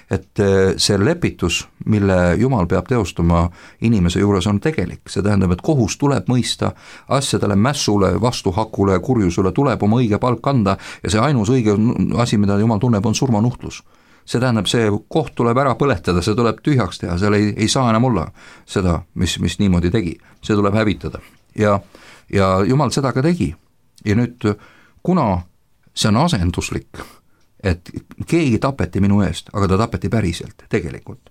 et see lepitus, mille Jumal peab teostama inimese juures, on tegelik. See tähendab, et kohus tuleb mõista asjadele, mässule, vastuhakule, kurjusele tuleb oma õige palk anda ja see ainus õige asi, mida Jumal tunneb, on surmanuhtlus. See tähendab, see koht tuleb ära põletada, see tuleb tühjaks teha, seal ei saa enam olla seda, mis niimoodi tegi. See tuleb hävitada. Ja Jumal seda ka tegi. Ja nüüd kuna see on asenduslik, et keegi tapeti minu eest, aga ta tapeti päriselt tegelikult,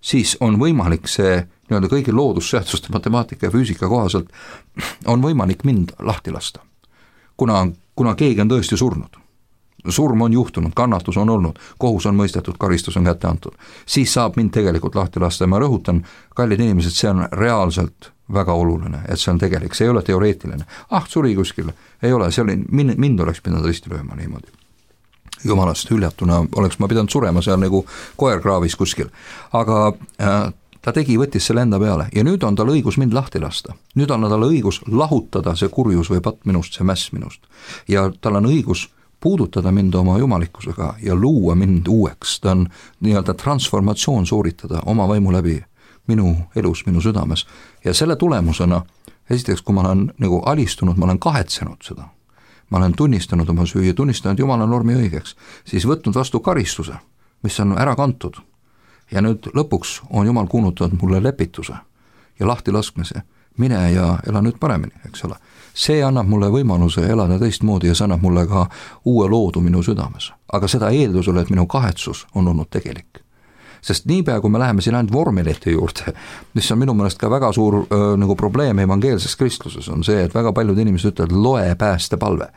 siis on võimalik see nii-öelda kõigi loodusseaduste, matemaatika ja füüsika kohaselt on võimalik mind lahti lasta. Kuna keegi on tõesti surnud, surm on juhtunud, kannatus on olnud, kohus on mõistetud, karistus on kätte antud, siis saab mind tegelikult lahti lasta ja ma rõhutan, kallid inimesed, see on reaalselt väga oluline, et see on tegelik, see ei ole teoreetiline. Suri kuskil, ei ole, see oli, mind oleks pidanud risti lööma niimoodi. Jumalast hüljatuna oleks ma pidanud surema seal nagu koer kraavis kuskil. Aga ta võttis selle enda peale ja nüüd on tal õigus mind lahti lasta. Nüüd on tal õigus lahutada see kurjus või patt minust, see mäss minust. Ja tal on õigus puudutada mind oma jumalikkusega ja luua mind uueks. Ta on nii-öelda transformatsioon sooritada oma vaimu läbi minu elus, minu südames. Ja selle tulemusena, esiteks, kui ma olen nagu alistunud, ma olen kahetsenud seda. Ma olen tunnistanud oma süü ja tunnistanud Jumala normi õigeks, siis võtnud vastu karistuse, mis on ära kantud. Ja nüüd lõpuks on Jumal kuulutanud mulle lepituse ja lahti laskmise. Mine ja ela nüüd paremini, eks ole. See annab mulle võimaluse elada teistmoodi ja see annab mulle ka uue loodu minu südames. Aga seda eeldusele, et minu kahetsus on olnud tegelik. Sest niipea, kui me läheme siin ainult vormelite juurde, mis on minu meelest ka väga suur nagu probleem evangeelses kristluses, on see, et väga paljud inimesed ütlevad, loe päästepalve.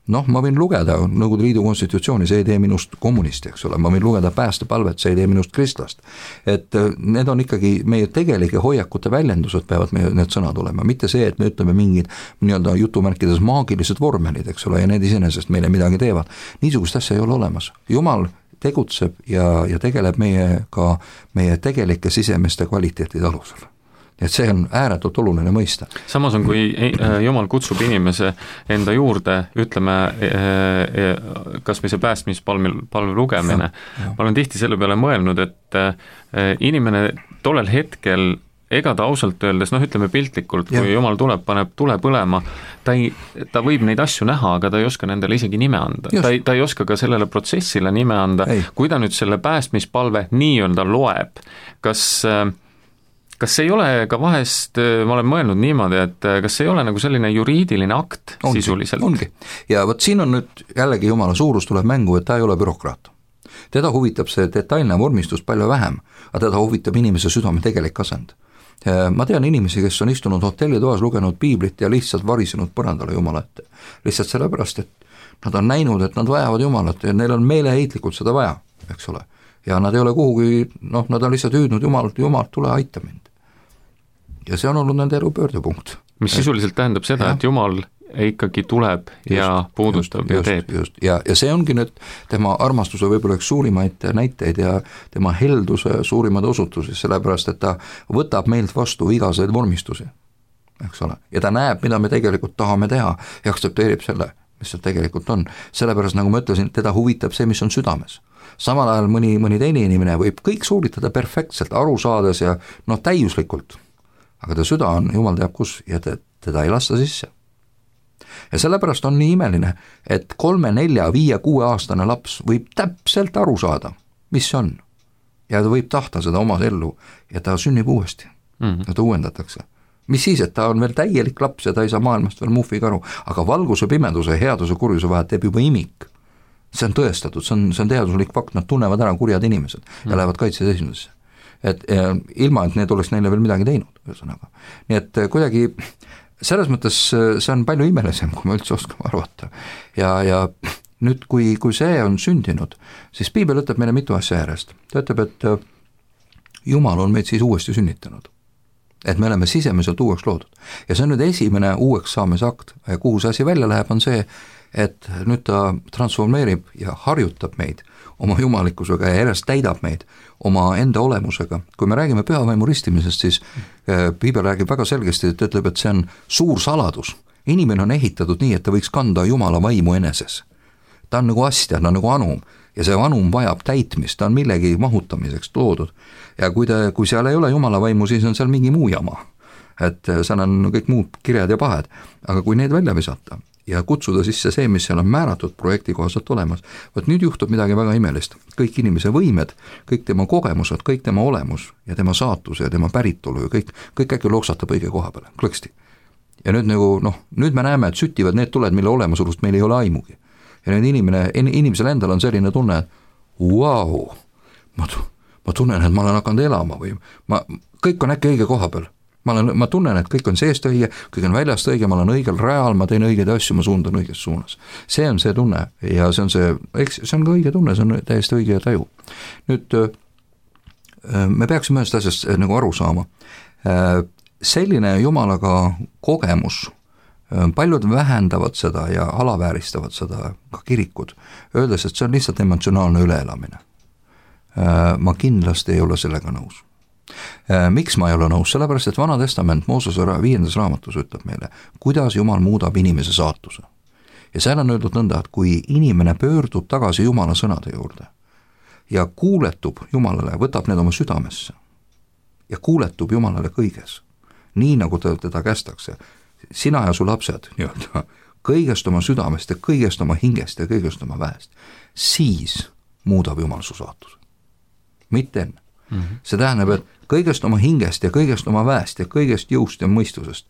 Ma võin lugeda Nõukogude Liidu konstitutsiooni, see ei tee minust kommunisti, eks ole, ma võin lugeda päästepalvet, see ei tee minust kristlast. Et need on ikkagi meie tegelike hoiakute väljendused, peavad meie need sõnad olema, mitte see, et me ütleme mingid nii-öelda jutumärkides maagilised vormelid, eks ole, ja need iseenesest meile midagi teevad. Niisugust asja ei ole olemas. Jumal tegutseb ja tegeleb meie tegelike sisemiste kvaliteetide alusel. Et see on ääretult oluline mõista. Samas on, kui Jumal kutsub inimese enda juurde, ütleme, kas või see päästmispalve lugemine, ma olen tihti selle peale mõelnud, et inimene tollel hetkel, ega ta ausalt öeldes, ütleme piltlikult, kui Jumal tuleb, paneb tule põlema, ta võib neid asju näha, aga ta ei oska nendele isegi nime anda. Ta ei oska ka sellele protsessile nime anda. Kui ta nüüd selle päästmispalve nii-öelda loeb, kas kas ei ole ka vahest, ma olen mõelnud niimoodi, et kas ei ole nagu selline juriidiline akt sisuliselt? Ongi, ja vot siin on nüüd jällegi Jumala suurus tuleb mängu, et ta ei ole bürokraat. Teda huvitab see detailne vormistus palju vähem, aga teda huvitab inimese südame tegelik asend. Ma tean inimesi, kes on istunud hotellitoas, lugenud piiblit ja lihtsalt varisenud põrandale Jumala ette. Lihtsalt sellepärast, et nad on näinud, et nad vajavad Jumalat ja neil on meeleheitlikult seda vaja, eks ole. Ja nad ei ole kuhugi, nad on lihtsalt hüüdnud Jumalt, tule aita mind. Ja see on olnud nende elu pöördepunkt. Mis sisuliselt tähendab seda, et Jumal ikkagi tuleb ja puudutab ja teeb. Ja see ongi nüüd tema armastuse võib-olla üks suurimaid näiteid ja tema helduse suurimad osutusi, sellepärast, et ta võtab meilt vastu igaseid vormistusi, eks ole. Ja ta näeb, mida me tegelikult tahame teha ja aktsepteerib selle, mis see tegelikult on. Sellepärast, nagu ma ütlesin, teda huvitab see, mis on südames. Samal ajal mõni teine inimene võib kõik suuritada perfektselt, aru saades ja täiuslikult, aga ta süda on, Jumal teab kus, ja teda ei lasta sisse. Ja sellepärast on nii imeline, et 3, 4, 5, 6 aastane laps võib täpselt aru saada, mis see on. Ja ta võib tahta seda oma ellu ja ta sünnib uuesti ja ta uuendatakse. Mis siis, et ta on veel täielik laps ja ta ei saa maailmast veel muhviga aru, aga valguse, pimeduse, headuse, kurjuse vahet teeb juba imik. See on tõestatud, see on teaduslik fakt, nad tunnevad ära kurjad inimesed ja lähevad kaitseseisundesse. Et ilma, et need oleks neile veel midagi teinud, ühesõnaga. Nii et kuidagi selles mõttes see on palju imelisem, kui me üldse oskame arvata. Ja nüüd, kui see on sündinud, siis Piibel ütleb meile mitu asja järjest. Ta ütleb, et Jumal on meid siis uuesti sünnitanud. Et me oleme sisemiselt uueks loodud. Ja see on nüüd esimene uueks saamise akt. Ja kuhu see asi välja läheb, on see, et nüüd ta transformeerib ja harjutab meid oma jumalikkusega ja järjest täidab meid oma enda olemusega. Kui me räägime pühavaimu ristimisest, siis Piibel räägib väga selgesti, et ütleb, et see on suur saladus. Inimene on ehitatud nii, et ta võiks kanda Jumala vaimu eneses. Ta on nagu astja, ta on nagu anum ja see anum vajab täitmist, ta on millegi mahutamiseks loodud. Ja kui seal ei ole Jumala vaimu, siis on seal mingi muu jama. Et seal on kõik muud kirjad ja pahed, aga kui need välja visata ja kutsuda sisse see, mis seal on määratud projekti kohaselt olemas, võt nüüd juhtub midagi väga imelist. Kõik inimese võimed, kõik tema kogemused, kõik tema olemus ja tema saatus ja tema päritolu ja kõik äkki loksatab õige koha peale, klõksti. Ja nüüd nüüd me näeme, et süttivad need tuled, mille olemasulust meil ei ole aimugi. Ja nüüd inimesel endal on selline tunne, et vau, ma tunnen, et ma olen hakanud elama või kõik on äkki õige koha peal. Ma tunnen, et kõik on seest õige, kõik on väljast õige, ma olen õigel rajal, ma teen õigeid asju, ma suundan õiges suunas. See on see tunne ja see on ka õige tunne, see on täiesti õige taju. Nüüd me peaksime ühest asjast nagu aru saama. Selline Jumalaga kogemus, paljud vähendavad seda ja alavääristavad seda ka kirikud, öeldes, et see on lihtsalt emotsionaalne üleelamine. Ma kindlasti ei ole sellega nõus. Miks ma ei ole nõus? Sellepärast, et Vana Testament Moosese 5. raamatus ütleb meile, kuidas Jumal muudab inimese saatuse. Ja seal on öeldud nõnda, et kui inimene pöördub tagasi Jumala sõnade juurde ja kuuletub Jumalale, võtab need oma südamesse ja kuuletub Jumalale kõiges, nii nagu teda kästakse, sina ja su lapsed nii-öelda, kõigest oma südamest ja kõigest oma hingest ja kõigest oma väest, siis muudab Jumal su saatuse. Mitte enne. See tähendab, et kõigest oma hingest ja kõigest oma väest ja kõigest jõust ja mõistusest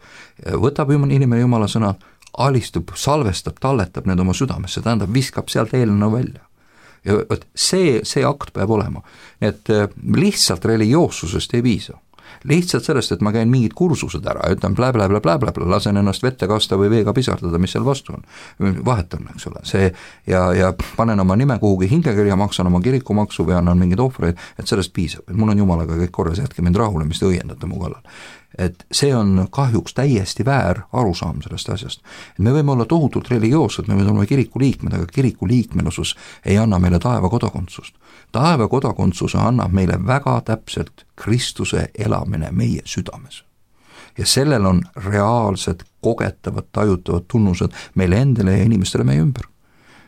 võtab inimene Jumala sõna, alistub, salvestab, talletab need oma südamesse, tähendab, viskab sealt eelnõu välja. Ja see akt peab olema. Et lihtsalt religioossusest ei piisa. Lihtsalt sellest, et ma käin mingid kursused ära, ütlen blä, lasen ennast vette kasta või veega pisardada, mis seal vastu on. Vahetan, eks ole, see ja panen oma nime kuhugi hingekirja, maksan oma kirikumaksu või annan mingeid ohvreid, et sellest piisab. Et mul on Jumalaga kõik korras, jätke mind rahule, mis te õiendate mu kallal. Et see on kahjuks täiesti väär arusaam sellest asjast. Et me võime olla tohutult religioossed, me võime olla kiriku liikmed, aga kiriku liikmelusus ei anna meile taeva kodakondsust. Taeva kodakondsuse annab meile väga täpselt Kristuse elamine meie südames. Ja sellel on reaalsed, kogetavad, tajutavad tunnused meile endale ja inimestele meie ümber.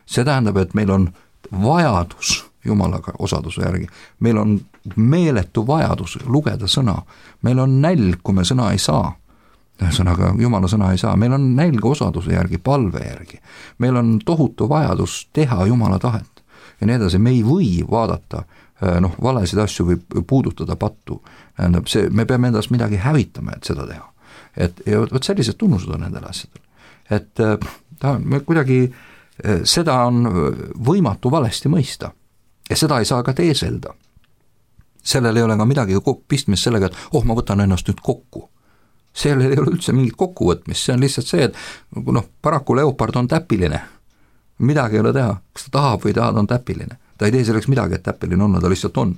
See tähendab, et meil on vajadus Jumalaga osaduse järgi. Meil on meeletu vajadus lugeda sõna. Meil on nälg, kui me sõna ei saa. Sõnaga Jumala sõna ei saa. Meil on nälg osaduse järgi, palve järgi. Meil on tohutu vajadus teha Jumala tahet. Ja nii edasi, me ei või vaadata valesid asju võib puudutada pattu, tähendab see, me peame endast midagi hävitama, et seda teha. Ja võt sellised tunnused on nendel asjadel. Et kuidagi seda on võimatu valesti mõista ja seda ei saa ka teeselda. Sellel ei ole ka midagi pistmist sellega, et ma võtan ennast nüüd kokku. Sellel ei ole üldse mingit kokkuvõtmist, see on lihtsalt see, et paraku leopard on täpiline. Midagi ei ole teha, kas ta tahab või tahab, on täpiline. Ta ei tee selleks midagi, et täpiline on, ta lihtsalt on.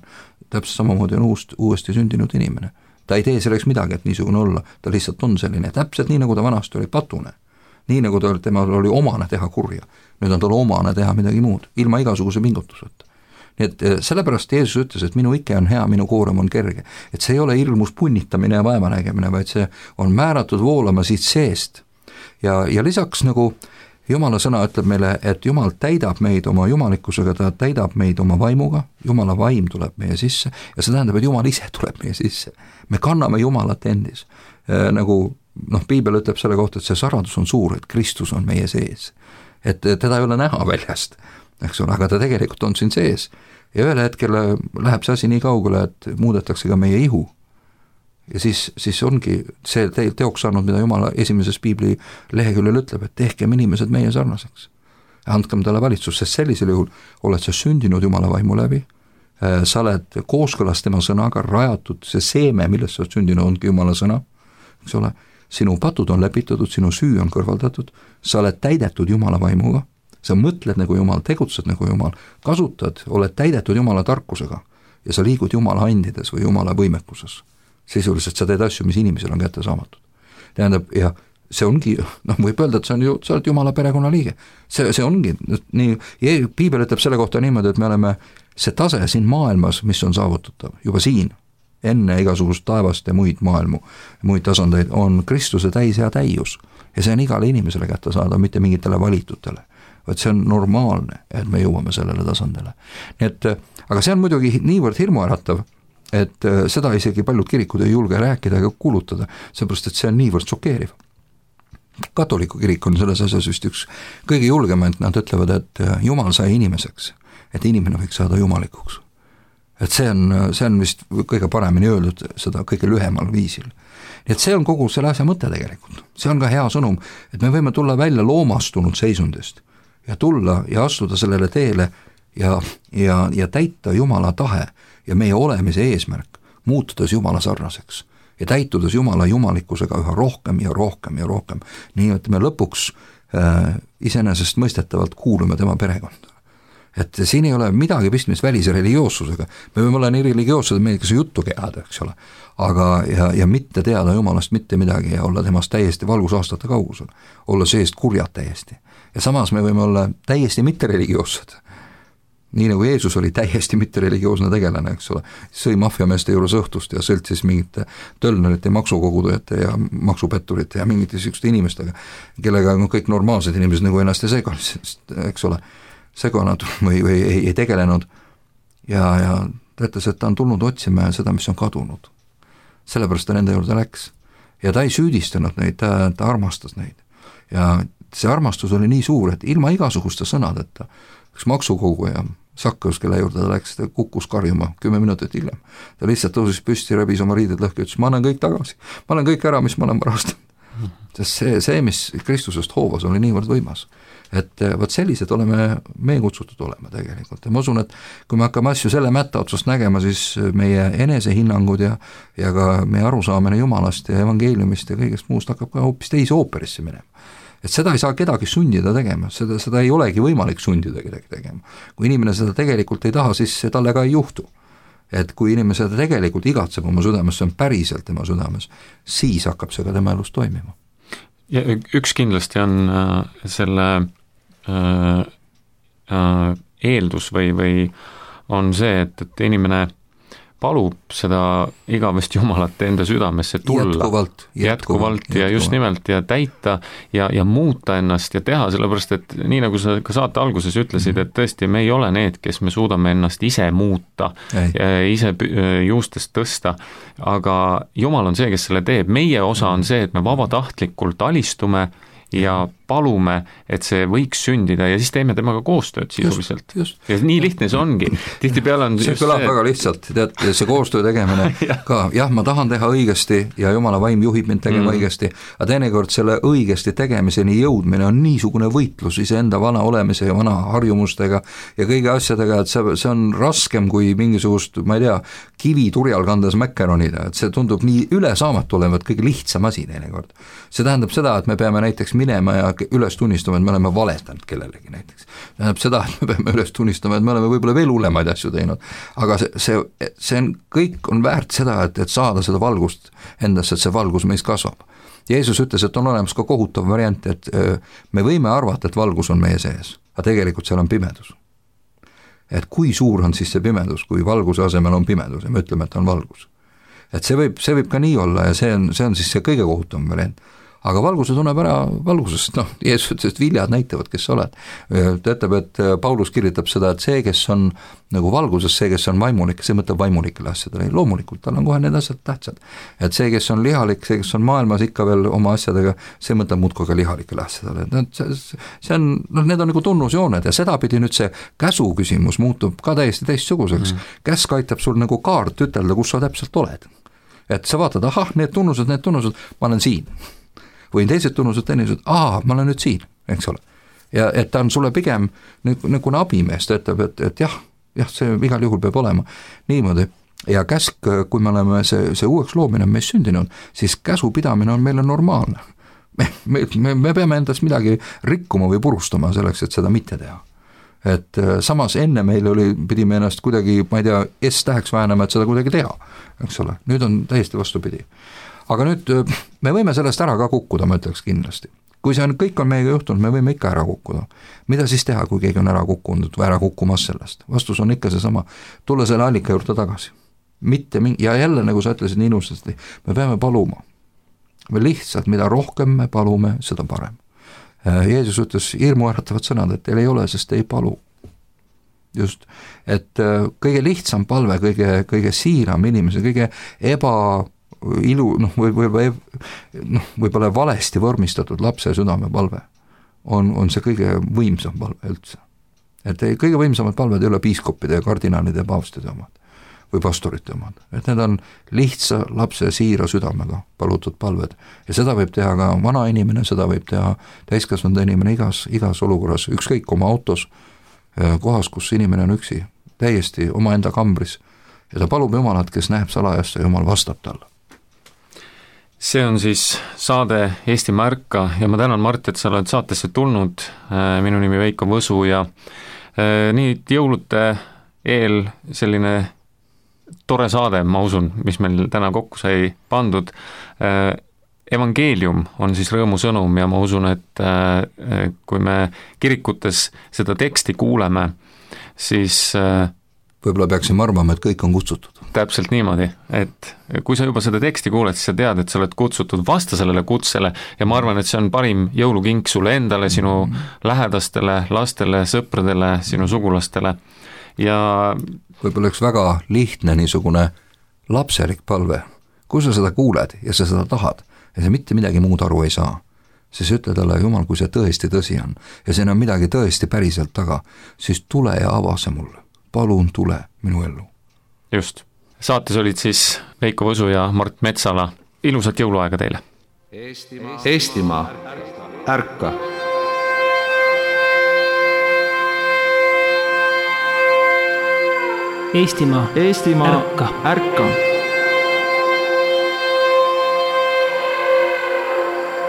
Täpselt samamoodi on uuesti sündinud inimene. Ta ei tee selleks midagi, et niisugune olla, ta lihtsalt on selline. Täpselt nii, nagu ta vanasti oli patune. Nii, nagu temal oli omane teha kurja. Nüüd on tal omane teha midagi muud, ilma igasuguse pingutuseta. Nii et sellepärast Jeesus ütles, et minu ike on hea, minu koorem on kerge. Et see ei ole hirmus punnitamine ja vaevanägemine, vaid see on määratud voolama siit seest. Ja lisaks nagu Jumala sõna ütleb meile, et Jumal täidab meid oma jumalikkusega, ta täidab meid oma vaimuga, Jumala vaim tuleb meie sisse ja see tähendab, et Jumal ise tuleb meie sisse. Me kanname Jumalat endis. Nagu Piibel ütleb selle kohta, et see saradus on suur, et Kristus on meie sees. Et teda ei ole näha väljast, eks ole, aga ta tegelikult on siin sees. Ja ühel hetkel läheb see asi nii kaugele, et muudetakse ka meie ihu. Ja siis ongi see teoks saanud, mida Jumala esimeses Piibli leheküljel ütleb, et tehkem inimesed meie sarnaseks. Andkem talle valitsus, sest sellisel juhul oled sa sündinud Jumala vaimu läbi, sa oled kooskõlas tema sõnaga rajatud, see seeme, millest sa oled sündinud, ongi Jumala sõna, eks ole, sinu patud on lepitatud, sinu süü on kõrvaldatud, sa oled täidetud Jumala vaimuga, sa mõtled nagu Jumal, tegutsed nagu Jumal, kasutad, oled täidetud Jumala tarkusega ja sa liigud Jumala andides või Jumala võimekuses. Sisuliselt sa teed asju, mis inimesel on kätte saamatud. Tähendab, ja see ongi, võib öelda, et sa oled Jumala perekonna liige. See ongi, nii, Piibel ütleb selle kohta niimoodi, et me oleme see tase siin maailmas, mis on saavutatav, juba siin, enne igasugust taevast ja muid maailmu, muid tasandeid, on Kristuse täis ja täius. Ja see on igale inimesele kätte saada, mitte mingitele valitutele. Vaid see on normaalne, et me jõuame sellele tasandile. Nii et, aga see on muidugi niivõrd hirmuäratav, et seda isegi paljud kirikud ei julge rääkida ega kuulutada, seepärast, et see on niivõrd šokeeriv. Katoliku kirik on selles asjas vist üks kõige julgemaid, nad ütlevad, et Jumal sai inimeseks, et inimene võiks saada jumalikuks. Et see on vist kõige paremini öeldud seda kõige lühemal viisil. Nii et see on kogu selle asja mõte tegelikult. See on ka hea sõnum, et me võime tulla välja loomastunud seisundist ja tulla ja astuda sellele teele ja täita Jumala tahe ja meie olemise eesmärk, muutudes Jumala sarnaseks ja täitudes Jumala jumalikkusega üha rohkem ja rohkem ja rohkem. Nii et me lõpuks iseenesest mõistetavalt kuulume tema perekonda. Et siin ei ole midagi pistmist välise religioossusega. Me võime olla nii religioossed, et meil ikka see juttu keada, eks ole. Aga ja mitte teada Jumalast mitte midagi ja olla temast täiesti valgusaastate kaugusel. Olla seest kurjad täiesti. Ja samas me võime olla täiesti mitte religioossed. Nii nagu Jeesus oli täiesti mitte religioosne tegelane, eks ole, sõi maffiameeste juures õhtust ja sõltsis mingite tölnerite, maksukogudujate ja maksupetturite ja mingite sükste inimestega, kellega on kõik normaalsed inimesed nagu ennast ei seganud, eks ole, seganud või ei tegelenud ja ta ütles, et ta on tulnud otsima seda, mis on kadunud. Sellepärast ta nende juurde läks ja ta ei süüdistanud neid, ta armastas neid ja see armastus oli nii suur, et ilma igasuguste sõnadeta üks maksukoguja Sakkeus, kelle juurde ta läks, ta kukkus karjuma 10 minutit hiljem. Ta lihtsalt tõusis püsti, rebis oma riided lõhki, ütles, ma annan kõik tagasi, ma annan kõik ära, mis ma olen varastanud. Sest see, mis Kristusest hoovas, oli niivõrd võimas. Et võt sellised oleme me kutsutud olema tegelikult. Ja ma usun, et kui me hakkame asju selle mätta otsast nägema, siis meie enesehinnangud ja ka meie arusaamine Jumalast ja evangeeliumist ja kõigest muust hakkab ka hoopis teise ooperisse minema. Et seda ei saa kedagi sundida tegema, seda ei olegi võimalik sundida kedagi tegema. Kui inimene seda tegelikult ei taha, siis talle ka ei juhtu. Et kui inimene seda tegelikult igatseb oma südames, see on päriselt tema südames, siis hakkab see ka tema elus toimima. Ja üks kindlasti on selle eeldus või on see, et inimene palub seda igavest Jumalat enda südamesse tulla jätkuvalt ja just nimelt ja täita ja muuta ennast ja teha, sellepärast et nii nagu sa ka saate alguses ütlesid, et tõesti me ei ole need, kes me suudame ennast ise muuta, ise juustest tõsta, aga Jumal on see, kes selle teeb. Meie osa on see, et me vabatahtlikult alistume ja palume, et see võiks sündida ja siis teeme temaga koostööd sisuliselt. Ja nii lihtne see ongi. Tihtipeale on see kõlab väga lihtsalt, tead, see koostöö tegemine ka, jah, ma tahan teha õigesti ja Jumala vaim juhib mind tegema õigesti, aga teinekord selle õigesti tegemiseni jõudmine on niisugune võitlus iseenda vana olemise ja vana harjumustega ja kõige asjadega, et see on raskem kui mingisugust, ma ei tea, kivi turjal kandes mäkkeronida, et see tundub nii ülesaamatu olevat kõige lihtsam asi teinekord. See tähendab seda, et me peame näiteks minema ja üles tunnistama, et me oleme valetanud kellelegi näiteks. Tähendab seda, et me peame üles tunnistama, et me oleme võib-olla veel hullemaid asju teinud, aga see on, kõik on väärt seda, et saada seda valgust endasse, et see valgus meis kasvab. Jeesus ütles, et on olemas ka kohutav variant, et me võime arvata, et valgus on meie sees, aga tegelikult seal on pimedus. Et kui suur on siis see pimedus, kui valguse asemel on pimedus ja me ütleme, et on valgus. Et see võib ka nii olla ja see on siis see kõige kohutavam variant. Aga valguse tunneb ära valgusest, Jeesus ütles, et viljad näitavad, kes sa oled. Ta ütleb, et Paulus kirjutab seda, et see, kes on nagu valguses, see, kes on vaimulik, see mõtleb vaimulikele asjadele. Loomulikult, tal on kohe need asjad tähtsad. Et see, kes on lihalik, see, kes on maailmas ikka veel oma asjadega, see mõtleb muudkui ka lihalikele asjadele. See on, need on nagu tunnusjooned ja sedapidi nüüd see käsu küsimus muutub ka täiesti teistsuguseks. Käsk aitab sul nagu kaart ütelda, kus sa täpselt oled. Et sa vaatad, need tunnused, ma olen siin. Või teised tunnused, ma olen nüüd siin, eks ole. Ja et ta on sulle pigem nagu abimees, ta ütleb, et jah, see igal juhul peab olema niimoodi. Ja käsk, kui me oleme see uueks loomine meis sündinud, siis käsu pidamine on meile normaalne. Me peame endast midagi rikkuma või purustama selleks, et seda mitte teha. Et samas enne meil pidime ennast kuidagi, ma ei tea, S-täheks väänama, et seda kuidagi teha, eks ole. Nüüd on täiesti vastupidi. Aga nüüd me võime sellest ära ka kukkuda, ma ütleks kindlasti. Kui kõik on meiega juhtunud, me võime ikka ära kukkuda. Mida siis teha, kui keegi on ära kukkunud või ära kukkumas sellest? Vastus on ikka seesama, tulla selle allika juurde tagasi. Ja jälle, nagu sa ütlesid nii inusasti, me peame paluma. Me lihtsalt, mida rohkem me palume, seda parem. Jeesus ütles hirmu äratavad sõnad, et teil ei ole, sest te ei palu. Just, et kõige lihtsam palve, kõige siiram inimese, kõige võib-olla valesti vormistatud lapse südamepalve on see kõige võimsam palve üldse. Et kõige võimsamad palved ei ole piiskopide ja kardinaalide ja paavstide omad või pastorite omad. Et need on lihtsa lapse siira südamega palutud palved. Ja seda võib teha ka vana inimene, seda võib teha täiskasvanud inimene igas olukorras, ükskõik oma autos, kohas, kus inimene on üksi, täiesti omaenda kambris. Ja ta palub Jumalat, kes näeb salajast ja Jumal vastab talle. See on siis saade Eestimaa ärka ja ma tänan, Mart, et sa oled saatesse tulnud. Minu nimi Veiko Võsu ja nii jõulude eel selline tore saade, ma usun, mis meil täna kokku sai pandud. Evangeelium on siis rõõmusõnum ja ma usun, et kui me kirikutes seda teksti kuuleme, siis võib-olla peaksime arvama, et kõik on kutsutud. Täpselt niimoodi, et kui sa juba seda teksti kuuled, siis sa tead, et sa oled kutsutud vasta sellele kutsele ja ma arvan, et see on parim jõulukink sulle endale, sinu lähedastele, lastele, sõpradele, sinu sugulastele ja võib-olla üks väga lihtne niisugune lapselik palve, kui sa seda kuuled ja sa seda tahad ja sa mitte midagi muud aru ei saa, siis ütle talle, Jumal, kui see tõesti tõsi on ja siin on midagi tõesti päriselt taga, siis tule ja ava see mulle. Palun tule minu ellu. Just. Saates olid siis Veiko Võsu ja Mart Metsala. Ilusat jõuluaega teile. Eestimaa ärka. Eestimaa ärka.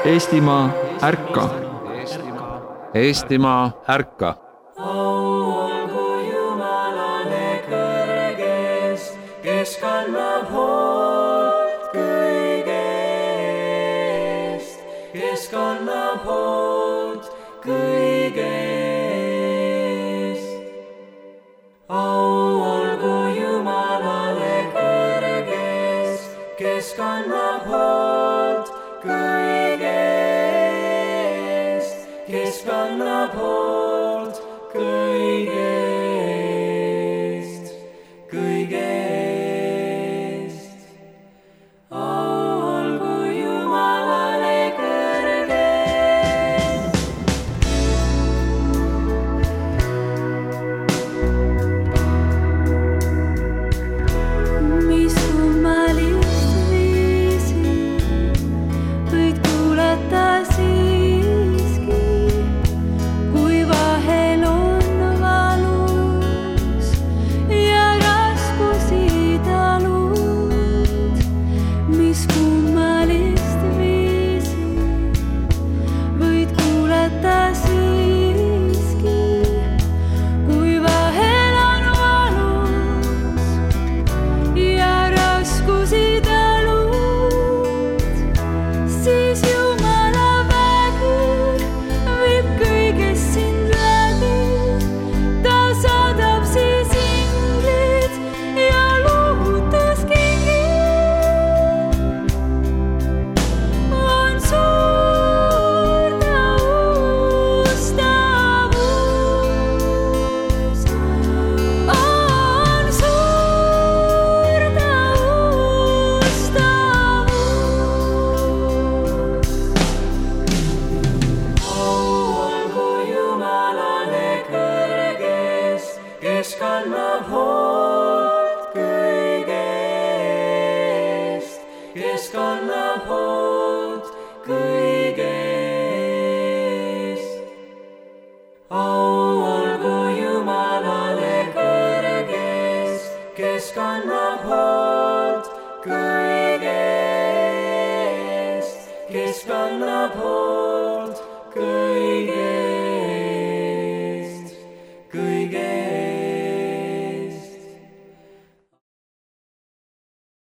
Eestimaa ärka. Eestimaa ärka. Kes kannab hoolt kõigest, kes kannab hoolt kõigest. Au olgu Jumalale kõrges, kes kannab hoolt kõigest, kes kannab hoolt kõigest, kõigest. mis kummalist viisi võid kuulata siiski, kui vahel on valus ja raskusi talud, siis Jumala vägi viib kõigest sind läbi. Ta saadab siis inglid ja lohutuskingid. On suur taustavus, on suur taustavus. Olgu Jumalale kõrges, kes kannab hoolt kõigest, kes kannab hoolt kõigest. Olgu Jumalale kõrges, kes kannab hoolt kõigest, kes kannab hoolt